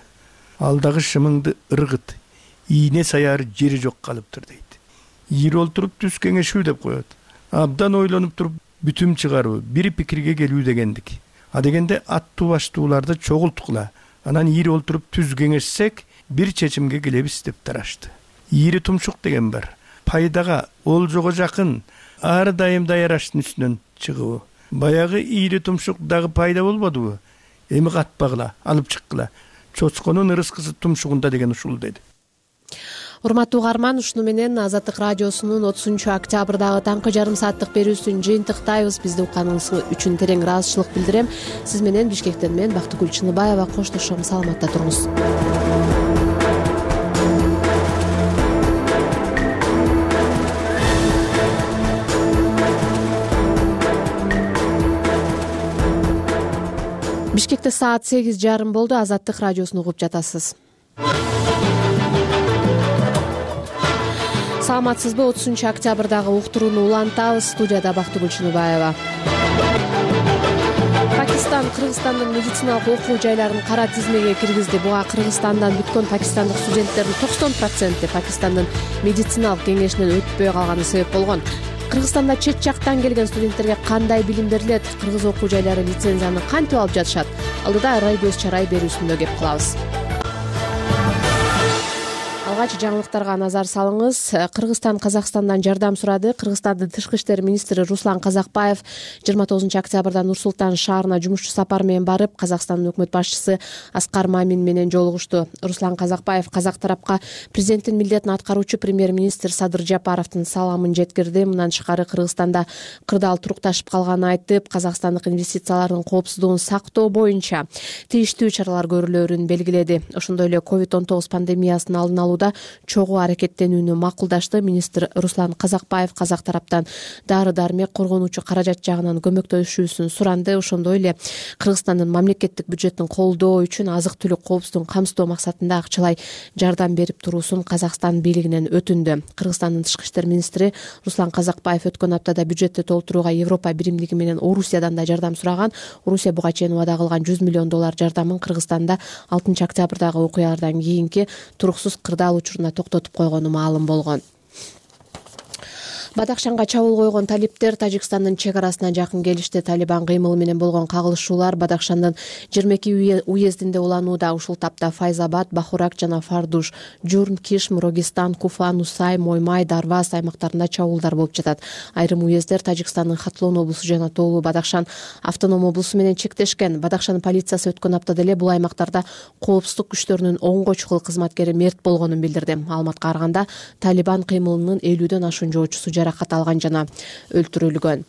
Алдагы шымыңды ыргыт, ийне саяр жери жок калыптыр дейт. Ийри олтуруп түз кеңешүү деп коет. Абдан ойлонуп туруп бүтүм чыгаруу, бир пикирге келүү дегендик. А дегенде аттуу баштууларды чогулткула, анан ийри олтуруп түз кеңешсек, бир чечимге келебиз деп тарашты. Ийри тумшук деген бар. Пайдага, олжого жакын, ар дайым даяраштын үстүнөн чыгыбы. Баягы ийри тумшук дагы пайда болбодубу? Эми катпагыла, алып чыккыла. Чоцконун ырыскысы тумшугунда деген ушул деди. Урматтуу угарман, ушуну менен Азаттык радиосунун отузунчу октябрдагы таңкы жарым сааттык берүүсүн жыйынтыктайбыз. Бизди укканыңыз үчүн терең ыраазычылык билдирем. Сиз менен Бишкектен мен Бактыгүл Чыныбаева коштошом. Саламатта туруңуз. Бишкекте саат сегиз жарым болду. Азаттык радиосун угуп жатасыз. Саламатсызбы? отузунчу октябрдагы уктурууну улантабыз. Студияда Бактыгүл Чыныбаева. Пакистан Кыргызстандын медициналык окуу жайларын кара тизмеге киргизди. Буга Кыргызстандан бүткөн пакистандык студенттердин токсон проценти Пакистандын медициналык кеңешинен өтпөй калганы себеп болгон. Кыргызстанда чет жактан келген студенттерге кандай билим берилет? Кыргыз окуу жайлары лицензияны кантип алып жатышат? Алдыда Райбөз Чарай берүүсүндө кеп кылабыз. Алгач жаңылыктарга назар салыңыз. Кыргызстан Казакстандан жардам сурады. Кыргызстандын тышкы иштер министри Руслан Казакбаев жыйырма тогузунчу октябрда Нур-Султан шаарына жумушчу сапар менен барып, Казакстандын өкмөт башчысы Аскар Мамин менен жолугушту. Руслан Казакбаев казак тарапка президенттин милдетин аткаруучу премьер-министр Садыр Жапаровдун саламын жеткирди. Мындан тышкары Кыргызстанда кырдаал турукташып калганын айтып, казакстандык инвестициялардын коопсуздугун сактоо боюнча тийиштүү чаралар көрүлөрүн белгиледи. Ошондой эле ковид он тогуз пандемиясынын алдын алууда чогуу аракеттенүүнү макулдашты. Министр Руслан Казакбаев казак тараптан дары-дармек, коргонуучу каражат жагынан көмөктөшүүсүн суранды. Ошондой эле Кыргызстандын мамлекеттик бюджетин колдоо үчүн азык-түлүк коопсуздугун камсыздоо максатында акчалай жардам берип туруусун Казакстан бийлигинен өтүндү. Кыргызстандын тышкы иштер министри Руслан Казакбаев өткөн аптада бюджетти толтурууга Европа биримдиги менен Орусиядан да жардам сураган. Орусия буга чейин убада кылган жүз миллион доллар жардамын Кыргызстанда алтынчы октябрдагы окуялардан кийинки туруксуз кырдаал учуруна токтотуп койгону маалым болгон. Бадахшанга чабуул койгон талиптер Тажикстандын чек арасына жакын келишти. Талибан кыймылы менен болгон кагылышуулар Бадахшандын жыйырма эки уездинде уланууда. Ушул тапта Файзабад, Бахурак жана Фардуш, Журн, Кишм, Рогистан, Куфа, Нусай, Моймай, Дарвас аймактарында чабуулдар болуп жатат. Айрым уездер Тажикстандын Хатлон облусу жана Тоолу Бадахшан автоном облусу менен чектешкен. Бадахшан полициясы өткөн аптада эле бул аймактарда коопсуздук күчтөрүнүн он чукул кызматкери мерт болгонун билдирди. Маалыматка караганда Талибан кыймылынын элүүдөн ашуун жоочусу жаракат алган жана өлтүрүлгөн.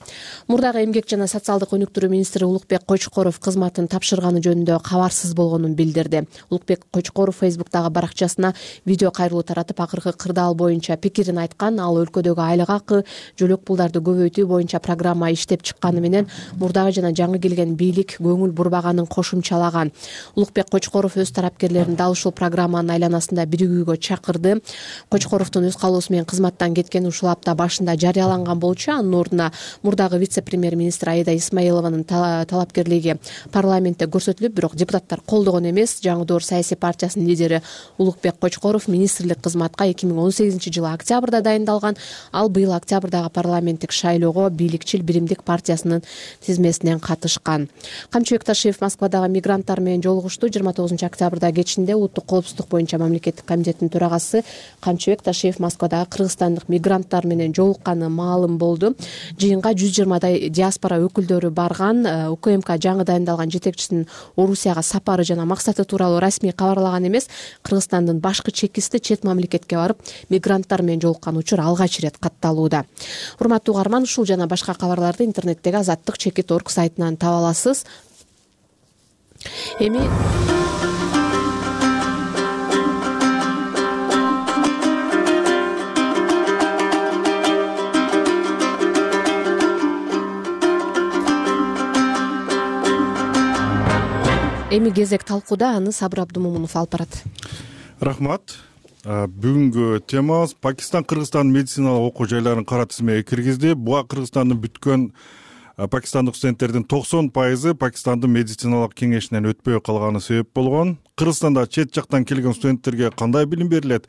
Мурдагы эмгек жана социалдык өнүктүрүү министри Улукбек Кочкоров кызматын тапшырганы жөнүндө кабарсыз болгонун билдирди. Улукбек Кочкоров Фейсбуктагы баракчасына видео кайрылуу таратып, акыркы кырдаал боюнча пикирин айткан. Ал өлкөдөгү айлык акы, жөлөк пулдарды көбөйтүү боюнча программа иштеп чыкканы менен мурдагы жана жаңы келген бийлик көңүл бурбаганын кошумчалаган. Улукбек Кочкоров өз тарапкерлерин дал ушул программанын айланасында биригүүгө чакырды. Кочкоровдун өз каалоосу менен кызматтан кеткени ушул апта башында жарыяланган болчу. Анын ордуна мурдагы вице-премьер-министр Аида Исмаилованын талапкерлиги парламентте көрсөтүлүп, бирок депутаттар колдогон эмес. Жаңы Доор саясий партиясынын лидери Улукбек Кочкоров министрлик кызматка эки миң он сегизинчи жылы октябрда дайындалган. Ал быйыл октябрдагы парламенттик шайлоого бийликчил Биримдик партиясынын тизмесинен катышкан. Камчыбек Ташиев Москвадагы мигранттар менен жолугушту. жыйырма тогузунчу октябрда кечинде Улуттук коопсуздук боюнча мамлекеттик комитеттин төрагасы Камчыбек Ташиев Москвадагы кыргызстандык мигранттар менен жолукканы маалым болду. Жыйынга жүз жыйырмадай диаспора өкүлдөрү барган. УКМК жаңы дайындалган жетекчисинин Орусияга сапары жана максаты тууралуу расмий кабарлаган эмес. Кыргызстандын башкы чекисти чет мамлекетке барып, мигранттар менен жолуккан учур алгач ирет катталууда. Урматтуу угарман, ушул жана башка кабарларды интернеттеги азаттык чекит точка орг сайтынан таба аласыз. Эми Эми кезек талкууда, аны Сабыр Абдумомунов алып барат. Рахмат. Бүгүнкү темабыз Пакистан Кыргызстандын медициналык окуу жайларын кара тизмеге киргизди. Буга Кыргызстандын бүткөн пакистандык студенттердин токсон пайызы Пакистандын медициналык кеңешинен өтпөй калганы себеп болгон. Кыргызстанда чет жактан келген студенттерге кандай билим берилет?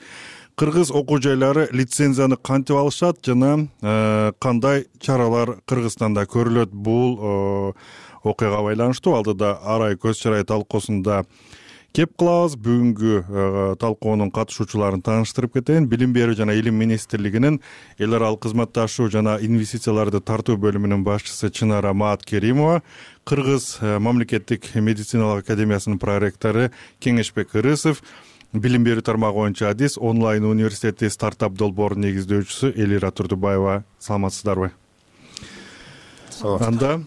Кыргыз окуу жайлары лицензияны кантип алышат жана кандай чаралар Кыргызстанда көрүлөт? Бул окуяга байланыштуу алдыда Арай көз чарай талкуусунда кеп кылабыз. Бүгүнкү талкуунун катышуучуларын тааныштырып кетейин. Билим берүү жана илим министрлигинин эл аралык кызматташуу жана инвестицияларды тартуу бөлүмүнүн башчысы Чынара Мааткеримова, Кыргыз мамлекеттик медициналык академиясынын проректору Кеңешбек Ырысов, билим берүү тармагы боюнча адис онлайн университети стартап долбоорунун негиздөөчүсү Элира Турдубаева. Саламатсыздарбы? Анда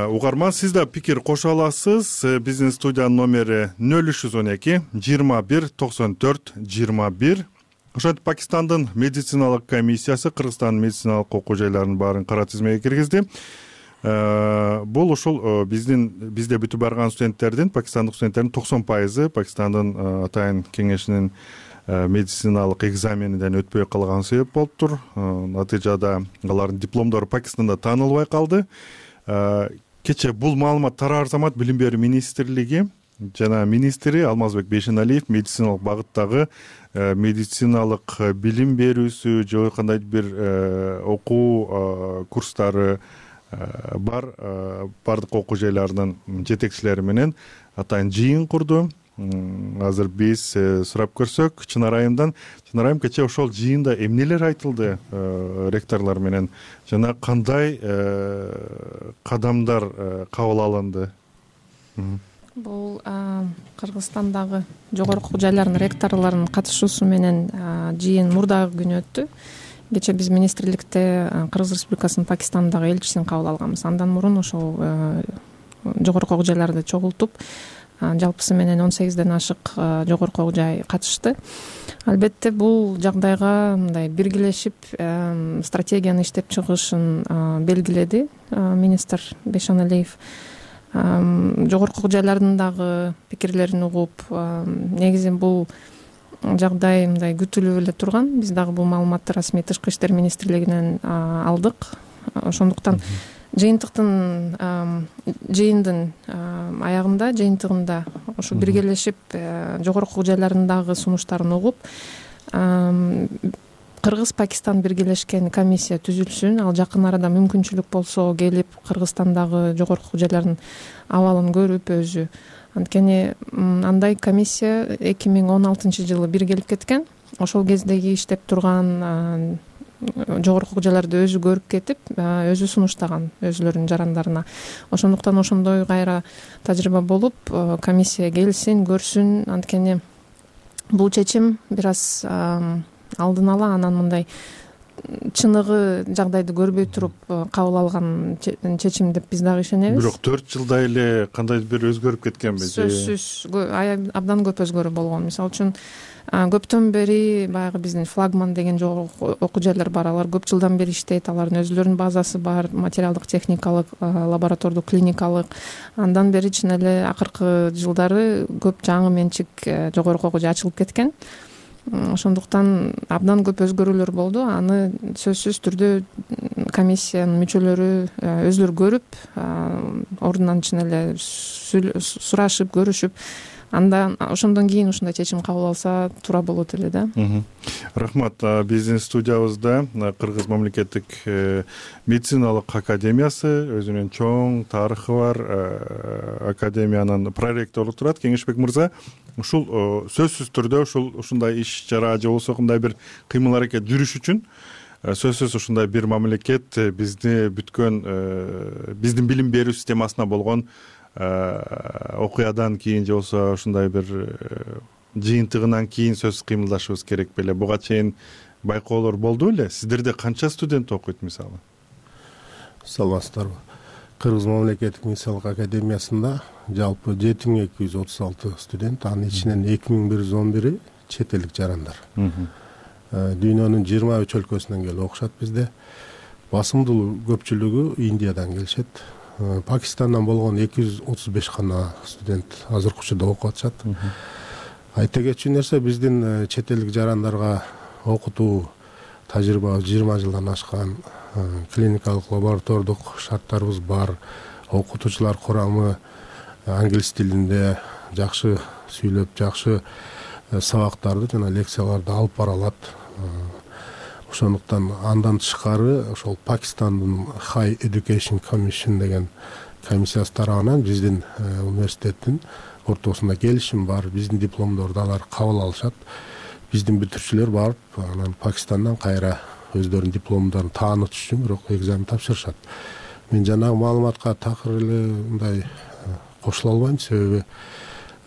угарман, сиз да пикир кошо аласыз. Биздин студиянын номери нөл үч жүз он эки жыйырма бир токсон төрт жыйырма бир. Ошентип Пакистандын медициналык комиссиясы Кыргызстандын медициналык окуу жайларынын баарын кара тизмеге киргизди. Бул ушул биздин бизде бүтүп барган студенттердин, пакистандык студенттердин токсон пайызы Пакистандын атайын кеңешинин медициналык экзамениден өтпөй калган себеп болуптур. Натыйжада алардын дипломдору Пакистанда таанылбай калды. Кечээ бул маалымат тараар замат Билим берүү министрлиги жана министри Алмазбек Бейшеналиев медициналык багыттагы медициналык билим берүүсү же кандай бир окуу курстары бар бардык окуу жайларынын жетекчилери менен атайын жыйын курду. Азыр биз сурап көрсөк Чынара айымдан. Чынара айым, кечээ ошол жыйында эмнелер айтылды ректорлор менен жана кандай кадамдар кабыл алынды? Бул Кыргызстандагы жогорку окуу жайларынын ректорлорунун катышуусу менен жыйын мурдагы күнү өттү. Кечээ биз министрликте Кыргыз Республикасынын Пакистандагы элчисин кабыл алганбыз. Андан мурун ошол жогорку окуу жайларды чогултуп, жалпысы менен он сегизден ашык жогорку окуу жай катышты. Албетте бул жагдайга мындай биргелешип стратегияны иштеп чыгышын белгиледи министр Бейшеналиев. Жогорку окуу жайлардын дагы пикирлерин угуп, негизи бул жагдай мындай күтүлүп эле турган. Биз дагы бул маалыматты расмий тышкы иштер министрлигинен алдык. Ошондуктан жыйынтыктын жыйындын аягында, жыйынтыгында ошо биргелешип жогорку окуу жайларындагы сунуштарын угуп, Кыргыз-Пакистан биргелешкен комиссия түзүлсүн. Ал жакын арада мүмкүнчүлүк болсо келип Кыргызстандагы жогорку окуу жайлардын абалын көрүп өзү. Анткени андай комиссия эки миң он алтынчы жылы биргелип кеткен. Ошол кездеги иштеп турган жогорку окуу жайларды өзү көрүп кетип, өзү сунуштаган өзүлөрүнүн жарандарына. Ошондуктан ошондой кайра тажрыйба болуп, комиссия келсин, көрсүн. Анткени бул чечим бир аз алдын ала, анан мындай чыныгы жагдайды көрбөй туруп кабыл алган чечим деп биз дагы ишенебиз. Бирок төрт жылда эле кандай бир өзгөрүп кеткенби? Сөзсүз абдан көп өзгөрүү болгон. Мисалы үчүн көптөн бери баягы биздин флагман деген жогорку окуу жайлар бар. Алар көп жылдан бери иштейт. Алардын өзүлөрүнүн базасы бар, материалдык, техникалык, лаборатордук, клиникалык. Андан бери чын эле акыркы жылдары көп жаңы менчик жогорку окуу жай ачылып кеткен. Ошондуктан абдан көп өзгөрүүлөр болду. Аны сөзсүз түрдө комиссиянын мүчөлөрү өзүлөрү көрүп, ордунан чын эле сурашып, көрүшүп, андан ошондон кийин ушундай чечим кабыл алса туура болот эле да. Рахмат. Биздин студиябызда Кыргыз мамлекеттик медициналык академиясы, өзүнүн чоң тарыхы бар академиянын проректору турат. Кеңешбек мырза, ушул сөзсүз түрдө ушул ушундай иш чара же болбосо кандай бир кыймыл аракет жүрүш үчүн сөзсүз ушундай бир мамлекет бизди бүткөн биздин билим берүү системасына болгон окуядан кийин же болбосо ушундай бир жыйынтыгынан кийин сөзсүз кыймылдашыбыз керек беле. Буга чейин байкоолор болду беле? Сиздерде канча студент окуйт мисалы? Саламатсыздарбы? Кыргыз мамлекеттик медициналык академиясында жалпы жети миң эки жүз отуз алты студент, анын ичинен эки миң бир жүз он бири чет элдик жарандар. Дүйнөнүн жыйырма үч өлкөсүнөн келип окушат бизде. Басымдуу көпчүлүгү Индиядан келишет. Пакистандан болгон эки жүз отуз беш гана студент азыркы учурда окуп атышат. Айта кетчү нерсе, биздин чет элдик жарандарга окутуу тажрыйба жыйырма жылдан ашкан, клиникалык, лаборатордук шарттарыбыз бар. Окутуучулар курамы англис тилинде жакшы сүйлөп, жакшы сабактарды жана лекцияларды алып бара алат. Ошондуктан андан тышкары ошол Пакистандын High Education Commission деген комиссиясы тарабынан биздин университеттин ортосунда келишим бар, биздин дипломдорду алар кабыл алышат. Биздин бүтүрүүчүлөр барып анан Пакистандан кайра өздөрүнүн дипломдорун таанытыш үчүн бирок экзамен тапшырышат. Мен жанагы маалыматка такыр эле мындай кошула албайм, себеби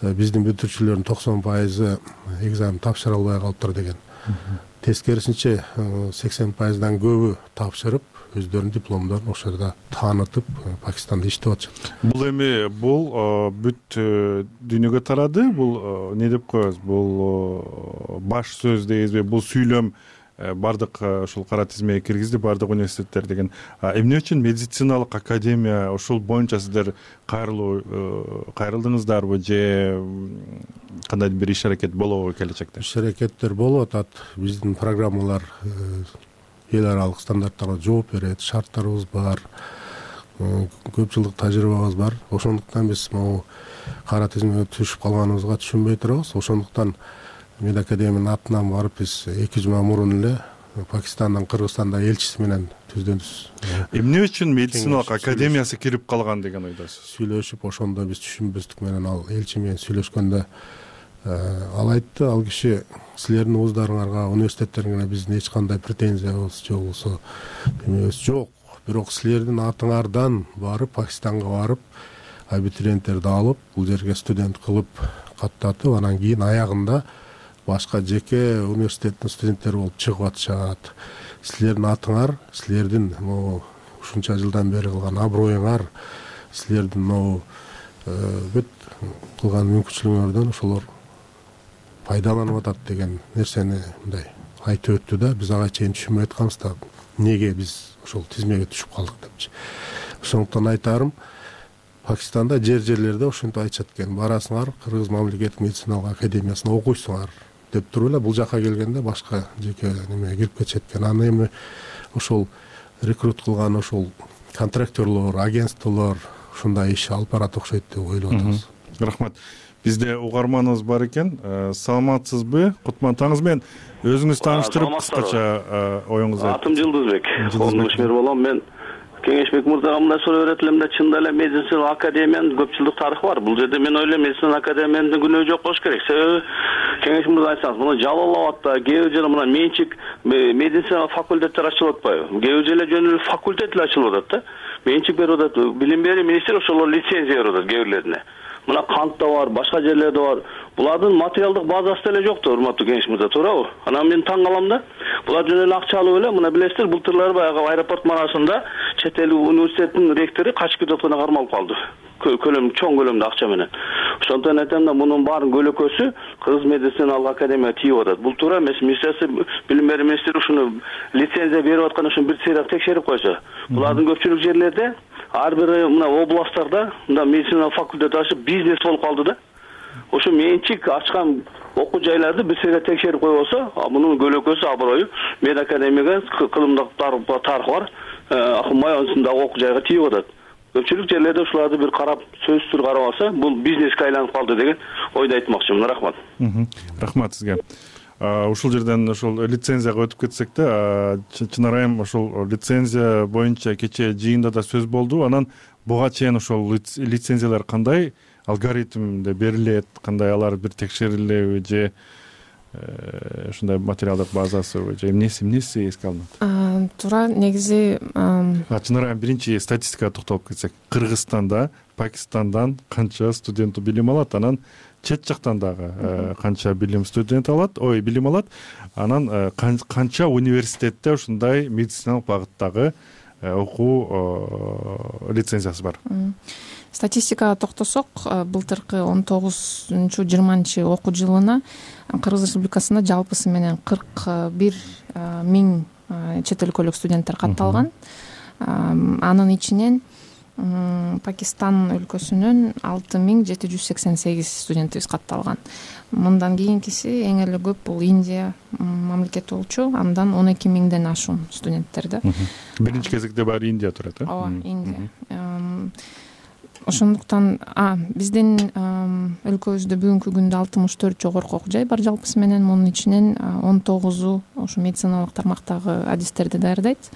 биздин бүтүрүүчүлөрдүн токсон пайызы экзамен тапшыра албай калыптыр деген. Тескерисинче сексен пайыздан көбү тапшырып, өздөрүнүн дипломдорун ошол жерде таанытып, Пакистанда иштеп атышат. Бул эми бул бүт дүйнөгө тарады. Бул не деп коебуз? Бул баш сөз дейбизби? Бул сүйлөм бардык ушул кара тизмеге киргизди, бардык университеттер деген. Эмне үчүн медициналык академия ушул боюнча сиздер кайрылуу кайрылдыңыздарбы же кандайдыр бир иш аракет болобу келечекте? Иш аракеттер болуп атат. Биздин программалар эл аралык стандарттарга жооп берет, шарттарыбыз бар, көп жылдык тажрыйбабыз бар. Ошондуктан биз могу кара тизмеге түшүп калганыбызга түшүнбөй турабыз. Ошондуктан медакадемиянын атынан барып биз эки жума мурун эле Пакистандан Кыргызстанда элчиси менен түздөнүбүз. Эмне үчүн медициналык академиясы кирип калган деген ойдосуз? Сүйлөшүп, ошондо биз түшүнбөстүк менен ал элчи менен сүйлөшкөндө ал айтты, ал киши силердин вуздарыңарга, университеттериңерге биздин эч кандай претензиябыз же болбосо эмебиз жок. Бирок силердин атыңардан барып Пакистанга барып абитуриенттерди алып, бул жерге студент кылып каттатып, анан кийин аягында башка жеке университеттин студенттери болуп чыгып атышат. Силердин атыңар, силердин могу ушунча жылдан бери кылган аброюңар, силердин могу бүт кылган мүмкүнчүлүгүңөрдөн ошолор пайдаланып атат деген нерсени мындай айтып өттү да, биз ага чейин түшүнбөй атканбыз да, эмнеге биз ошол тизмеге түшүп калдык депчи. Ошондуктан айтарым, Пакистанда жер-жерлерде ошентип айтышат экен, барасыңар, Кыргыз мамлекеттик медициналык академиясына окуйсуңар деп туруп эле, бул жака келгенде башка жеке немеге кирип кетишет экен. Аны эми ошол рекрут кылган ошол контракторлор, агентстволор ушундай иш алып барат окшойт деп ойлоп атабыз. Рахмат. Бизде угарманыбыз бар экен. Саламатсызбы? Кутман таңыз менен өзүңүз тааныштырып кыскача оюңузду. Атым Жылдызбек. Ошмер болом мен. Кеңешбек мырзага мындай суроо берет элем да, чында эле медициналык академиянын көп жылдык тарыхы бар. Бул жерде мен ойлойм, медициналык академиянын күнөө жок болуш керек. Себеби Кеңешбек мырза айтсаңыз, мына Жалал Абадта, кээ бир жерде мына менчик медициналык факультеттер ачылып атпайбы? Кээ бир жерде жөн эле факультет эле ачылып атат да. Менчик берип атат, билим берүү министри ошолор лицензия берип атат кээ бирлерине. Мына Кантта бар, башка жерлерде бар. Булардын материалдык базасы деле жок да, урматтуу Кеңеш мырза, туурабы? Анан мен таң калам да. Булар жөн эле акча алып эле, мына билесиздер, былтырлары баягы аэропорт манасында чет эл университеттин ректору качып кетип атканда кармалып калды. Көлөм, чоң көлөмдө акча менен. Ошондон айтам да, мунун баарын көлөкөсү Кыргыз медициналык академияга тийип атат. Бул туура эмес. Министрлик билим берүү министри ушуну лицензия берип аткан ушуну бир сыйрак текшерип койсо. Булардын көпчүлүк жерлерде, ар бир мына областтарда мына медицина факультет ачып бизнес болуп калды да. Ошо менчик ачкан окуу жайларды бир сыйрак текшерип койбосо, мунун көлөкөсү аброю медакадемияга кылымдык тарыхы бар, акынбай ансындагы окуу жайга тийип атат. Көпчүлүк жерлерде ушуларды бир карап, сөзсүз карап алса, бул бизнеске айланып калды деген ойду айтмакчымын. Рахмат. Рахмат сизге. Ушул жерден ошол лицензияга өтүп кетсек да, чынарайым ошол лицензия боюнча кечээ жыйында да сөз болду. Анан буга чейин ошол лицензиялар кандай алгоритмде берилет, кандай алар бир текшерилеби же ушундай материалдык базасыбы же эмнеси эмнеси эске алынат? Туура, негизи чынарайым биринчи статистикага токтолуп кетсек, Кыргызстанда Пакистандан канча студент билим алат, анан чет жактан дагы канча билим студент алат, ой, билим алат, анан канча университетте ушундай медициналык багыттагы окуу лицензиясы бар. Статистикага токтосок, былтыркы он тогузунчу жыйырманчы окуу жылына Кыргыз Республикасында жалпысы менен кырк бир миң чет өлкөлүк студенттер катталган. Анын ичинен Пакистан өлкөсүнөн алты миң жети жүз сексен сегиз студентибиз катталган. Мындан кийинкиси эң эле көп бул Индия мамлекети болчу, андан он эки миңден ашуун студенттер да. Биринчи кезекте баары Индия турат, э? Ооба, Индия. Ошондуктан биздин өлкөбүздө бүгүнкү күндө алтымыш төрт жогорку окуу жай бар жалпысы менен, мунун ичинен он тогузу ошо медициналык тармактагы адистерди даярдайт.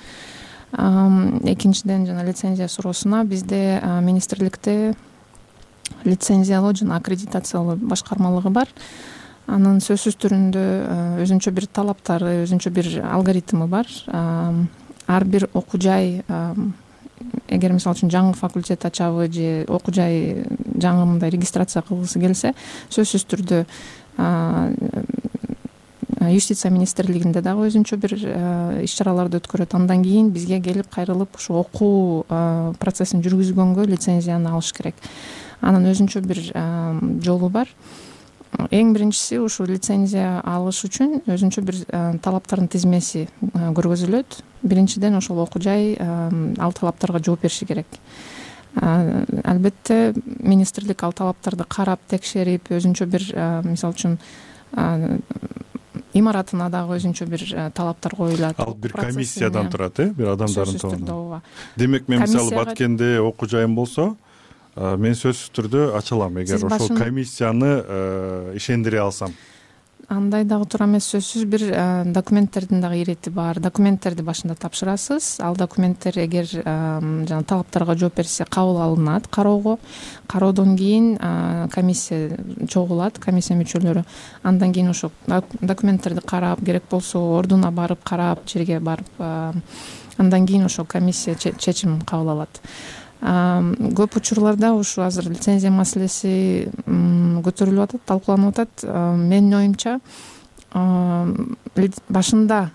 Экинчиден жана лицензия суроосуна, бизде министрликте лицензиялоо жана аккредитациялоо башкармалыгы бар. Анын сөзсүз түрүндө өзүнчө бир талаптары, өзүнчө бир алгоритми бар. Ар бир окуу жай, эгер мисалы үчүн жаңы факультет ачабы же окуу жай жаңы мындай регистрация кылгысы келсе, сөзсүз түрдө юстиция министрлигинде дагы өзүнчө бир иш чараларды өткөрөт. Андан кийин бизге келип кайрылып ушу окуу процессин жүргүзгөнгө лицензияны алыш керек. Анын өзүнчө бир жолу бар. Эң биринчиси ушу лицензия алыш үчүн өзүнчө бир талаптардын тизмеси көргөзүлөт. Биринчиден ошол окуу жай ал талаптарга жооп бериши керек. Албетте министрлик ал талаптарды карап, текшерип, өзүнчө бир мисалы үчүн имаратына дагы өзүнчө бир талаптар коюлат. Ал бир комиссиядан турат, э, бир адамдардын тобунан. Демек, мен мисалы Баткенде окуу жайым болсо, мен сөзсүз түрдө ача алам, эгер ошол комиссияны ишендире алсам. Андай дагы туура эмес, сөзсүз бир документтердин дагы ирети бар. Документтерди башында тапшырасыз. Ал документтер эгер жана талаптарга жооп берсе кабыл алынат кароого. Кароодон кийин комиссия чогулат, комиссия мүчөлөрү. Андан кийин ошо документтерди карап, керек болсо ордуна барып карап, жерге барып, андан кийин ошо комиссия чечим кабыл алат. Көп учурларда ушу азыр лицензия маселеси көтөрүлүп атат, талкууланып атат. Менин оюмча, башында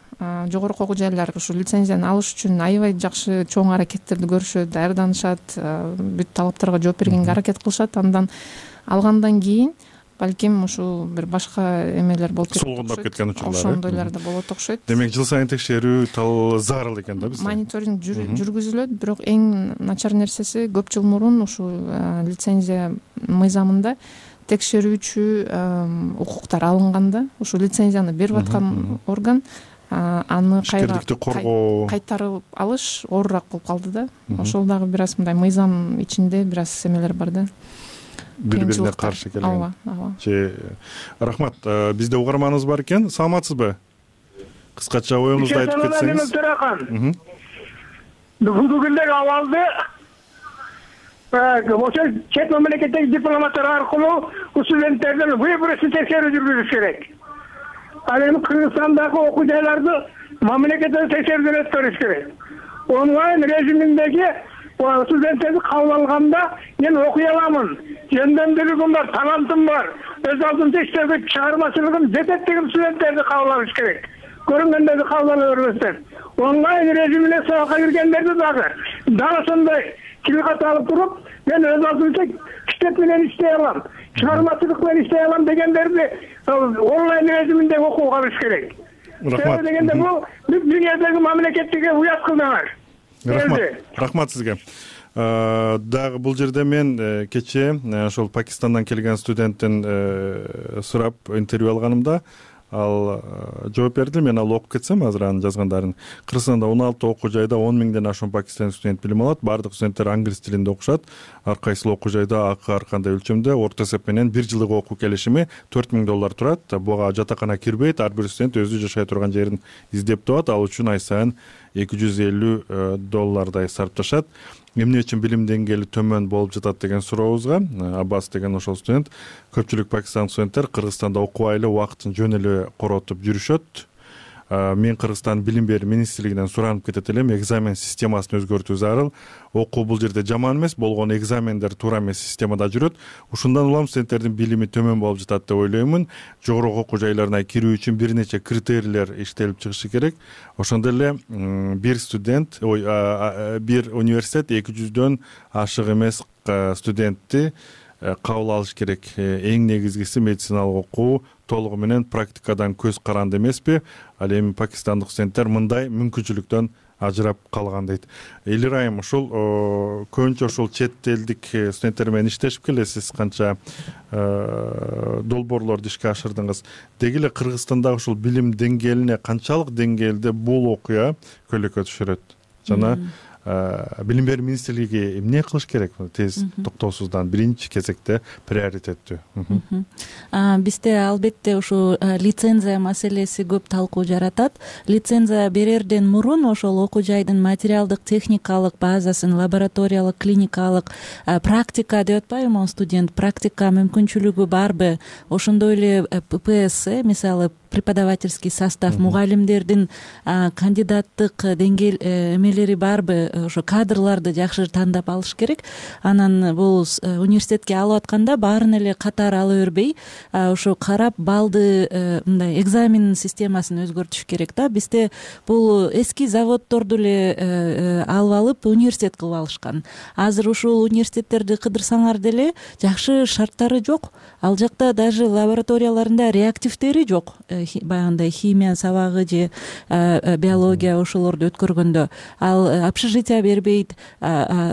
жогорку окуу жайлар ушу лицензияны алыш үчүн аябай жакшы чоң аракеттерди көрүшөт, даярданышат, бүт талаптарга жооп бергенге аракет кылышат. Андан алгандан кийин балким ушу бир башка эмелер болуп кетет. Солгундап кеткен учурлар. Ошондойлор да болот окшойт. Демек, жыл сайын текшерүү тал зарыл экен да бизде. Мониторинг жүргүзүлөт, бирок эң начар нерсеси көп жыл мурун ушу лицензия мыйзамында текшерүүчү укуктар алынганда, ушу лицензияны берип аткан орган аны кайра кайтарып алыш оорураак болуп калды да. Ошол дагы бир аз мындай мыйзам ичинде бир аз эмелер бар да. Бири-бирине каршы келген. Ооба, ооба. Рахмат. Бизде угарманыбыз бар экен. Саламатсызбы? Кыскача оюңузду айтып кетсеңиз. Бүгүнкү абалды ошо чет мамлекеттеги дипломаттар аркылуу студенттердин выборосун текшерүү жүргүзүш керек. Ал эми Кыргызстандагы окуу жайларды мамлекеттик текшерүүдөн өткөрүш керек. Онлайн режиминдеги студенттерди кабыл алганда мен окуй аламын, жөндөмдүүлүгүм бар, талантым бар, өз алдынча иштөөгө чыгармачылыгым жетет деген студенттерди кабыл алыш керек. Көрүнгөндөрдү кабыл ала бербестен. Онлайн режимине сабакка киргендерди дагы дал ошондой тилкат алып туруп, мен өз алдынча китеп менен иштей алам, чыгармачылык менен иштей алам дегендерди онлайн режиминде окууга алыш керек. Рахмат. Дегенде бул дүйнөдөгү мамлекеттиге уят кылдыңар. Рахмат. Рахмат сизге. Дагы бул жерде мен кечээ ошол Пакистандан келген студенттен сурап интервью алганымда ал жооп берди. Мен ал окуп кетсем азыр анын жазгандарын. Кыргызстанда он алты окуу жайда он миңден ашуун пакистандык студент билим алат. Бардык студенттер англис тилинде окушат. Ар кайсыл окуу жайда акы ар кандай өлчөмдө орто эсеп менен бир жылдык окуу келишими төрт миң доллар турат. Буга жатакана кирбейт. Ар бир студент өзү жашай турган жерин издеп табат. Ал үчүн ай сайын эки жүз элүү доллардай сарпташат. Эмне үчүн билим деңгээли төмөн болуп жатат деген сурообузга Аббас деген ошол студент, көпчүлүк пакистандык студенттер Кыргызстанда окубай эле убактын жөн эле коротуп жүрүшөт. Мен Кыргызстан билим берүү министрлигинен суранып кетет элем, экзамен системасын өзгөртүү зарыл. Окуу бул жерде жаман эмес, болгон экзамендер туура эмес системада жүрөт. Ушундан улам студенттердин билими төмөн болуп жатат деп ойлоймун. Жогорку окуу жайларына кирүү үчүн бир нече критерийлер иштелип чыгышы керек. Ошондой эле бир студент, ой, бир университет эки жүздөн ашык эмес студентти кабыл алыш керек. Эң негизгиси медициналык окуу толугу менен практикадан көз каранды эмеспи? Ал эми пакистандык студенттер мындай мүмкүнчүлүктөн ажырап калган дейт. Элир айым, ушул көбүнчө ушул чет элдик студенттер менен иштешип келесиз, канча долбоорлорду ишке ашырдыңыз. Деги эле Кыргызстандагы ушул билим деңгээлине канчалык деңгээлде бул окуя көйлөккө түшүрөт? Жана билим берүү министрлиги эмне кылыш керек тез токтоосуздан биринчи кезекте приоритеттүү? Бизде албетте ушу лицензия маселеси көп талкуу жаратат. Лицензия берерден мурун ошол окуу жайдын материалдык техникалык базасын, лабораториялык, клиникалык, практика деп атпайбы студент, практика мүмкүнчүлүгү барбы, ошондой эле ППС, мисалы преподавательский состав, мугалимдердин кандидаттык деңгээл эмелери барбы, ошо кадрларды жакшы тандап алыш керек. Анан бул университетке алып атканда баарын эле катары ала бербей, ошо карап балды мындай экзамен системасын өзгөртүш керек да. Бизде бул эски заводдорду эле алып алып университет кылып алышкан. Азыр ушул университеттерди кыдырсаңар деле жакшы шарттары жок. Ал жакта даже лабораторияларында реактивдери жок. Баягындай химия сабагы же биология ошолорду өткөргөндө ал общежитие бербейт,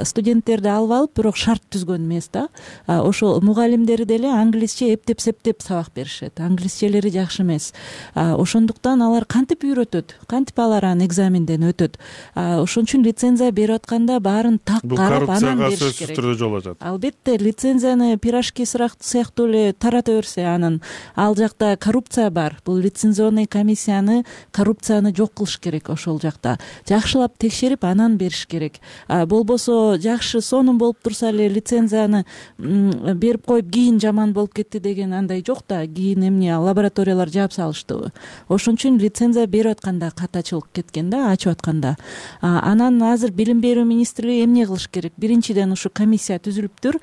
студенттерди алып алып бирок шарт түзгөн эмес да. Ошол мугалимдери деле англисче эптеп септеп сабак беришет, англисчелери жакшы эмес. Ошондуктан алар кантип үйрөтөт, кантип алар аны экзаменден өтөт. Ошон үчүн лицензия берип атканда баарын так карап анан бериш керек. Бул коррупцияга сөзсүз түрдө жол ачат. Албетте, лицензияны пирожки сыяктуу эле тарата берсе, анан ал жакта коррупция бар. Бул лицензионный комиссияны, коррупцияны жок кылыш керек ошол жакта. Жакшылап текшерип анан бериш керек. Болбосо жакшы сонун болуп турса эле лицензияны берип коюп кийин жаман болуп кетти деген андай жок да. Кийин эмне лабораториялар жаап салыштыбы. Ошон үчүн лицензия берип атканда катачылык кеткен да, ачып атканда. Анан азыр билим берүү министрлиги эмне кылыш керек? Биринчиден ушу комиссия түзүлүптүр.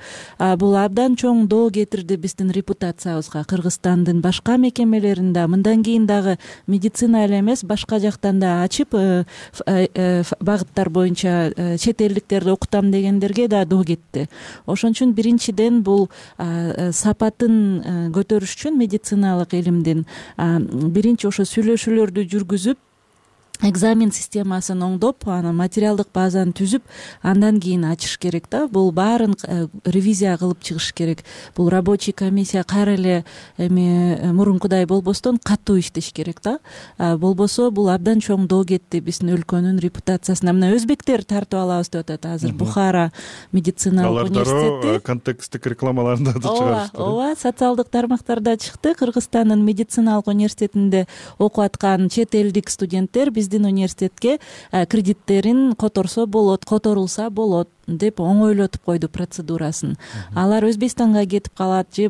Бул абдан чоң доо кетирди биздин репутациябызга. Кыргызстандын башка мекемелеринде мындан кийин дагы медицина эле эмес, башка жактан да ачып багыттар боюнча чет элдиктерди окутам дегендерге да доо кетти. Ошон үчүн биринчиден бул сапатын көтөрүш үчүн медициналык илимдин биринчи ошо сүйлөшүүлөрдү жүргүзүп, экзамен системасын оңдоп, анан материалдык базаны түзүп, андан кийин ачыш керек да. Бул баарын ревизия кылып чыгыш керек. Бул рабочий комиссия кайра эле эми мурункудай болбостон катуу иштеш керек да. Болбосо бул абдан чоң доо кетти биздин өлкөнүн репутациясына. Мына өзбектер тартып алабыз деп атат азыр. Бухара медициналык университети. Алар контексттик рекламаларында да чыгарышты. Ооба, социалдык тармактарда чыкты. Кыргызстандын медициналык университетинде окуп аткан чет элдик студенттер биздин университетке кредиттерин которсо болот, которулса болот деп оңойлотуп койду процедурасын. Алар Өзбекстанга кетип калат же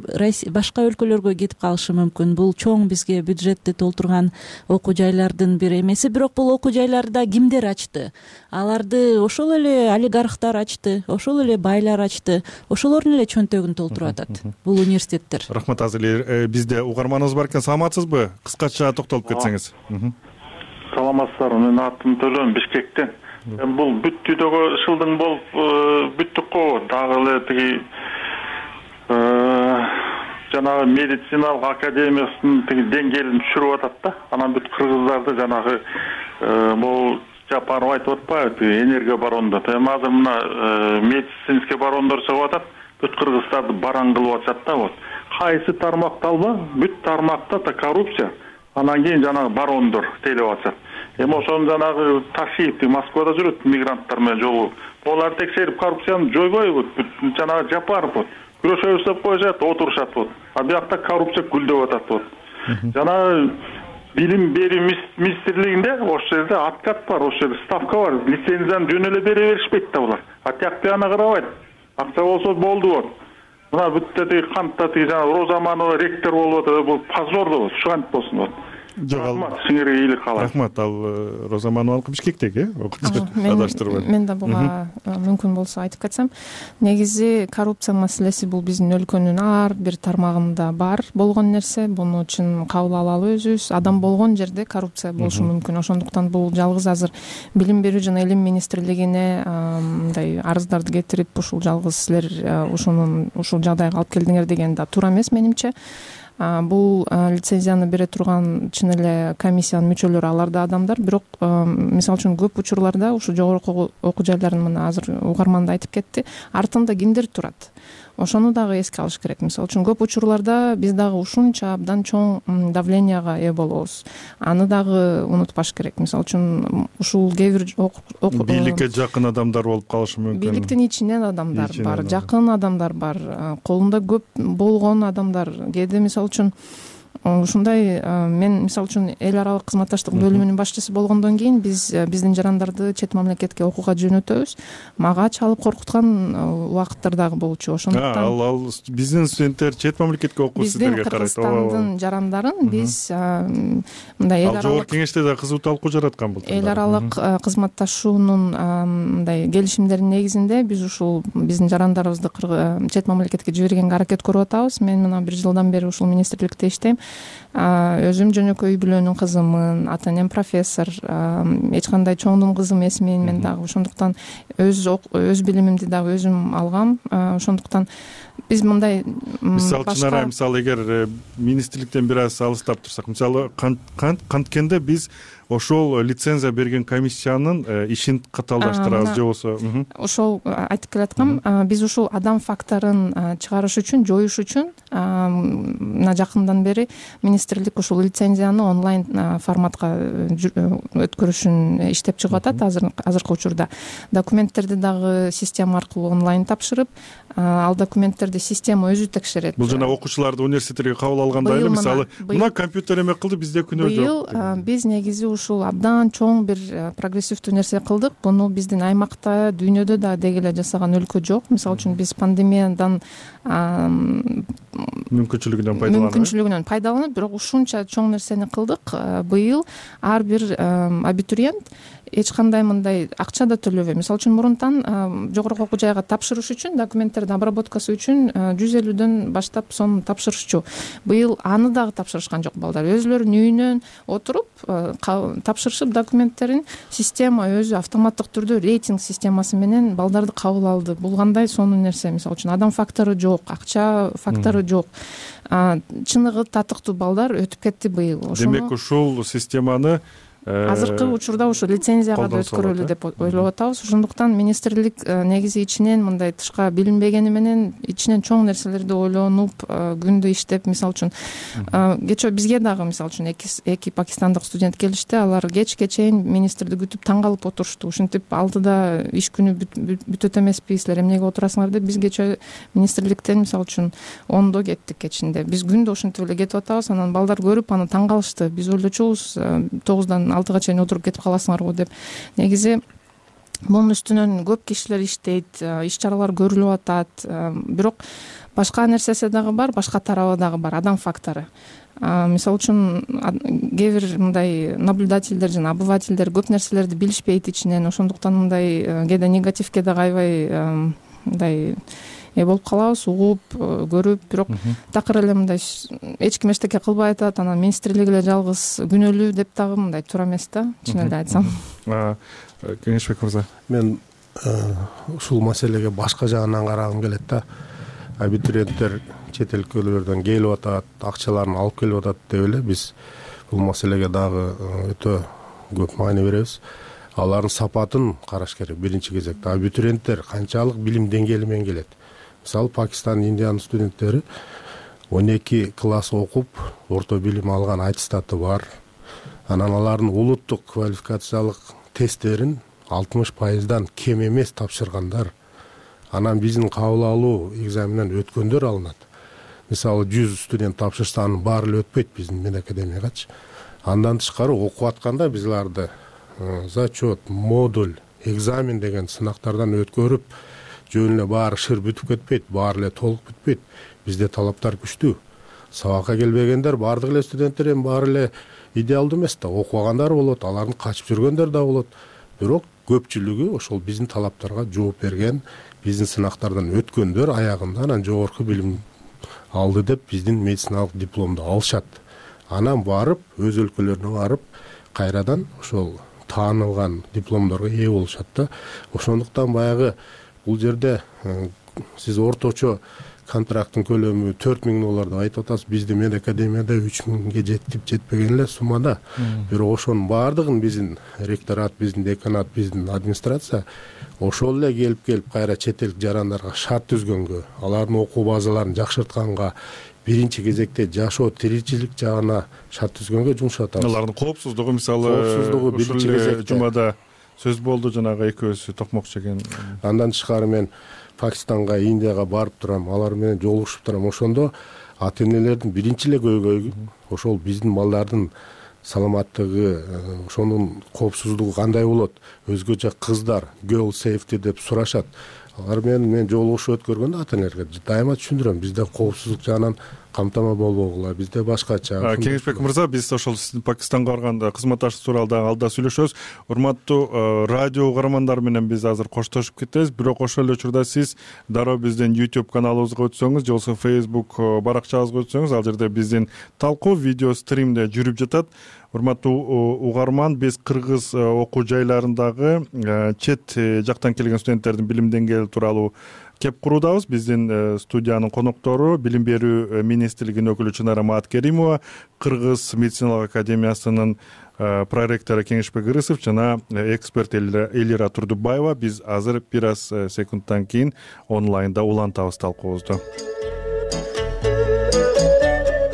башка өлкөлөргө кетип калышы мүмкүн. Бул чоң бизге бюджетти толтурган окуу жайлардын бир эмеси, бирок бул окуу жайларды кимдер ачты? Аларды ошол эле олигархтар ачты, ошол эле байлар ачты, ошолордун эле чөнтөгүн толтуруп атат бул университеттер. Рахмат, азыр бизде угарманыбыз бар экен. Саламатсызбы? Кыскача токтолуп кетсеңиз. Саламатсыздарбы, менин атым Төлөн, Бишкектен. Бул бүттүүдөгү ышылдың болуп бүттүк го, дагы эле тиги жанагы медициналык академиясынын тиги деңгээлин түшүрүп атат да. Анан бүт кыргыздарды жанагы бул Жапаров айтып атпайбы, тиги энергия барондо. Эми азыр мына медицинский барондор чыгып атат, бүт кыргыздарды баран кылып атышат да. Вот кайсы тармакта алба, бүт тармакта да коррупция. Анан кийин жанагы барондор тейлеп атышат. Эми ошону жанагы Ташиев Москвада жүрөт мигранттар менен жолугуп. Булар текшерип коррупцияны жойбойбу? Жанагы Жапаров вот күрөшөбүз деп коюшат, отурушат вот. А биякта коррупция гүлдөп атат вот. Жанагы билим берүү министрлигинде ошол жерде откат бар, ошол жерде ставка бар. Лицензияны жөн эле бере беришпейт да булар. А тияк бияна карабайт. Акча болсо болду вот. Мына бүтте тиги кантта тиги жанагы Розаманова ректор болуп атат, бул позор да вот. Ушантип болсун вот. Рахмат, сиңерге ийгилик каалайм. Рахмат, ал Розаманова Бишкектеги окуучу адаштырбайт. Мен да буга мүмкүн болсо айтып кетсем, негизи коррупция маселеси бул биздин өлкөнүн ар бир тармагында бар болгон нерсе. Буну үчүн кабыл алалы өзүбүз. Адам болгон жерде коррупция болушу мүмкүн. Ошондуктан бул жалгыз азыр билим берүү жана илим министрлигине мындай арыздарды кетирип, ушул жалгыз силер ушунун ушул жагдайга алып келдиңер деген да туура эмес менимче. Бул лицензияны бере турган чын эле комиссиянын мүчөлөрү алар да адамдар, бирок мисалы үчүн көп учурларда ушу жогорку окуу жайларын мына азыр угарман да айтып кетти, артында кимдер турат? ошону дагы эске алыш керек. Мисалы үчүн көп учурларда биз дагы ушунча абдан чоң давленияга ээ болобуз. Аны дагы унутпаш керек. Мисалы үчүн ушул кээ бир бийликке жакын адамдар болуп калышы мүмкүн. Бийликтин ичинен адамдар бар, жакын адамдар бар, колунда көп болгон адамдар. Кээде мисалы үчүн ушундай мен мисалы үчүн эл аралык кызматташтык бөлүмүнүн башчысы болгондон кийин биз биздин жарандарды чет мамлекетке окууга жөнөтөбүз. Мага чалып коркуткан убакыттар дагы болчу. Ошондуктан ал ал биздин студенттер чет мамлекетке окуу сиздерге карайт. Биздин Кыргызстандын жарандарын биз мындай эл аралык кеңеште да кызуу талкуу жараткан болчу. Эл аралык кызматташуунун мындай келишимдердин негизинде биз ушул биздин жарандарыбызды чет мамлекетке жибергенге аракет көрүп атабыз. Мен мына бир жылдан бери ушул министрликте иштейм. Өзүм жөнөкөй үй бүлөнүн кызымын, ата энем профессор, эч кандай чоңдун кызы эмесмин мен дагы. Ошондуктан өз өз билимимди дагы өзүм алгам. Ошондуктан биз мындай мисалы чынара мисалы эгер министрликтен бир аз алыстап турсак, мисалы канткенде биз ошол лицензия берген комиссиянын ишин катаалдаштырабыз же болбосо ошол айтып келаткам. Биз ушул адам факторун чыгарыш үчүн, жоюш үчүн мына жакындан бери министрлик ушул лицензияны онлайн форматка өткөрүшүн иштеп чыгып атат. Азыр азыркы учурда документтерди дагы система аркылуу онлайн тапшырып, ал документтерди система өзү текшерет. Бул жана окуучуларды университеттерге кабыл алганда эле мисалы мына компьютер эме кылды, бизде күнөө жок. Быйыл биз негизи ушул абдан чоң бир прогрессивдүү нерсе кылдык. Буну биздин аймакта, дүйнөдө да деги эле жасаган өлкө жок. Мисалы үчүн биз пандемиядан мүмкүнчүлүгүнөн пайдаланып мүмкүнчүлүгүнөн пайдаланып, бирок ушунча чоң нерсени кылдык. Быйыл ар бир абитуриент эч кандай мындай акча да төлөбөй. Мисалы үчүн мурунтан жогорку окуу жайга тапшырыш үчүн, документтердин обработкасы үчүн жүз элүүдөн баштап сом тапшырышчу. Быйыл аны дагы тапшырышкан жок балдар. Өзүлөрүнүн үйүнөн отуруп тапшырышып документтерин система өзү автоматтык түрдө рейтинг системасы менен балдарды кабыл алды. Бул кандай сонун нерсе. Мисалы үчүн адам фактору жок, акча фактору жок. Чыныгы татыктуу балдар өтүп кетти быйыл. Демек ушул системаны азыркы учурда ушу лицензияга да өткөрөлү деп ойлоп атабыз. Ошондуктан министрлик негизи ичинен мындай тышка билинбегени менен ичинен чоң нерселерди ойлонуп, күндү иштеп, мисалы үчүн кечээ бизге дагы мисалы үчүн эки пакистандык студент келишти. Алар кечке чейин министрди күтүп таң калып отурушту. Ушинтип алтыда иш күнү бүтөт эмеспи, силер эмнеге отурасыңар деп биз кечээ министрликтен мисалы үчүн ондо кеттик кечинде. Биз күндү ошентип эле кетип атабыз. Анан балдар көрүп аны таң калышты. Биз ойлочубуз тогуздан алтыга чейин отуруп кетип каласыңар го деп. Негизи мунун үстүнөн көп кишилер иштейт, иш чаралар көрүлүп атат. Бирок башка нерсеси дагы бар, башка тарабы дагы бар, адам фактору. Мисалы үчүн кээ бир мындай наблюдательдер жана обывательдер көп нерселерди билишпейт ичинен. Ошондуктан мындай кээде негативге да кайбай мындай э болуп калабыз, угуп, көрүп, бирок такыр эле мындай эч ким эчтеке кылбай атат, анан министрлик эле жалгыз күнөөлүү деп дагы мындай туура эмес да, чын эле айтсам. Кеңешбек мырза, мен ушул маселеге башка жагынан карагым келет да. Абитуриенттер чет өлкөлөрдөн келип атат, акчаларын алып келип атат деп эле биз бул маселеге дагы өтө көп маани беребиз. Алардын сапатын караш керек. Биринчи кезекте абитуриенттер канчалык билим деңгээли менен келет. Мисалы Пакистан, Индиянын студенттери он эки класс окуп, орто билим алган аттестаты бар. Анан алардын улуттук квалификациялык тесттерин алтымыш пайыздан кем эмес тапшыргандар. Анан биздин кабыл алуу экзаменинен өткөндөр алынат. Мисалы жүз студент тапшырса, анын баары эле өтпөйт биздин медакадемиягачы. Андан тышкары окуп атканда биз аларды зачет, модуль, экзамен деген сынактардан өткөрүп, жөн эле баары шыр бүтүп кетпейт, баары эле толук бүтпөйт. Бизде талаптар күчтүү. Сабакка келбегендер, баардык эле студенттер эми баары эле идеалдуу эмес да, окубагандар болот, алардын качып жүргөндөр да болот. Бирок көпчүлүгү ошол биздин талаптарга жооп берген, биздин сынактардан өткөндөр аягында анан жогорку билим алды деп биздин медициналык дипломду алышат. Анан барып, өз өлкөлөрүнө барып, кайрадан ошол таанылган дипломдорго ээ болушат да. Ошондуктан баягы бул жерде сиз орточо контракттын көлөмү төрт миң доллар деп айтып атасыз. Биздин медакадемияда үч миңге жетип жетпеген эле суммада. Бирок ошонун баардыгын биздин ректорат, биздин деканат, биздин администрация ошол эле келип келип кайра чет элдик жарандарга шарт түзгөнгө, алардын окуу базаларын жакшыртканга, биринчи кезекте жашоо тиричилик жагына шарт түзгөнгө жумшап атабыз. Алардын коопсуздугу мисалы коопсуздугу биринчи кезекте жумада сөз болду, жанагы экөөсү токмок жеген. Андан тышкары мен Пакистанга, Индияга барып турам, алар менен жолугушуп турам. Ошондо ата энелердин биринчи эле көйгөйү ошол биздин балдардын саламаттыгы, ошонун коопсуздугу кандай болот, өзгөчө кыздар girl safety деп сурашат. Алар менен мен жолугушуп өткөргөндө ата энелерге дайыма түшүндүрөм, бизде коопсуздук жагынан камтама болбогула, бизде башкача. Кеңешбек мырза, биз ошол сиздин Пакистанга барганда кызматташып тууралуу дагы алда сүйлөшөбүз. Урматтуу радио угармандар менен биз азыр коштошуп кетебиз, бирок ошол эле учурда сиз дароо биздин YouTube каналыбызга өтсөңүз, же болбосо Facebook баракчабызга өтсөңүз, ал жерде биздин талкуу видео стримде жүрүп жатат. Урматтуу угарман, биз кыргыз окуу жайларындагы чет жактан келген студенттердин билим деңгээли тууралуу кеп куруудабыз. Биздин студиянын коноктору билим берүү министрлигинин өкүлү Чынара Мааткеримова, Кыргыз медициналык академиясынын проректору Кеңешбек Ырысов жана эксперт Элира Турдубаева. Биз азыр бир аз секундтан кийин онлайнда улантабыз талкуубузду.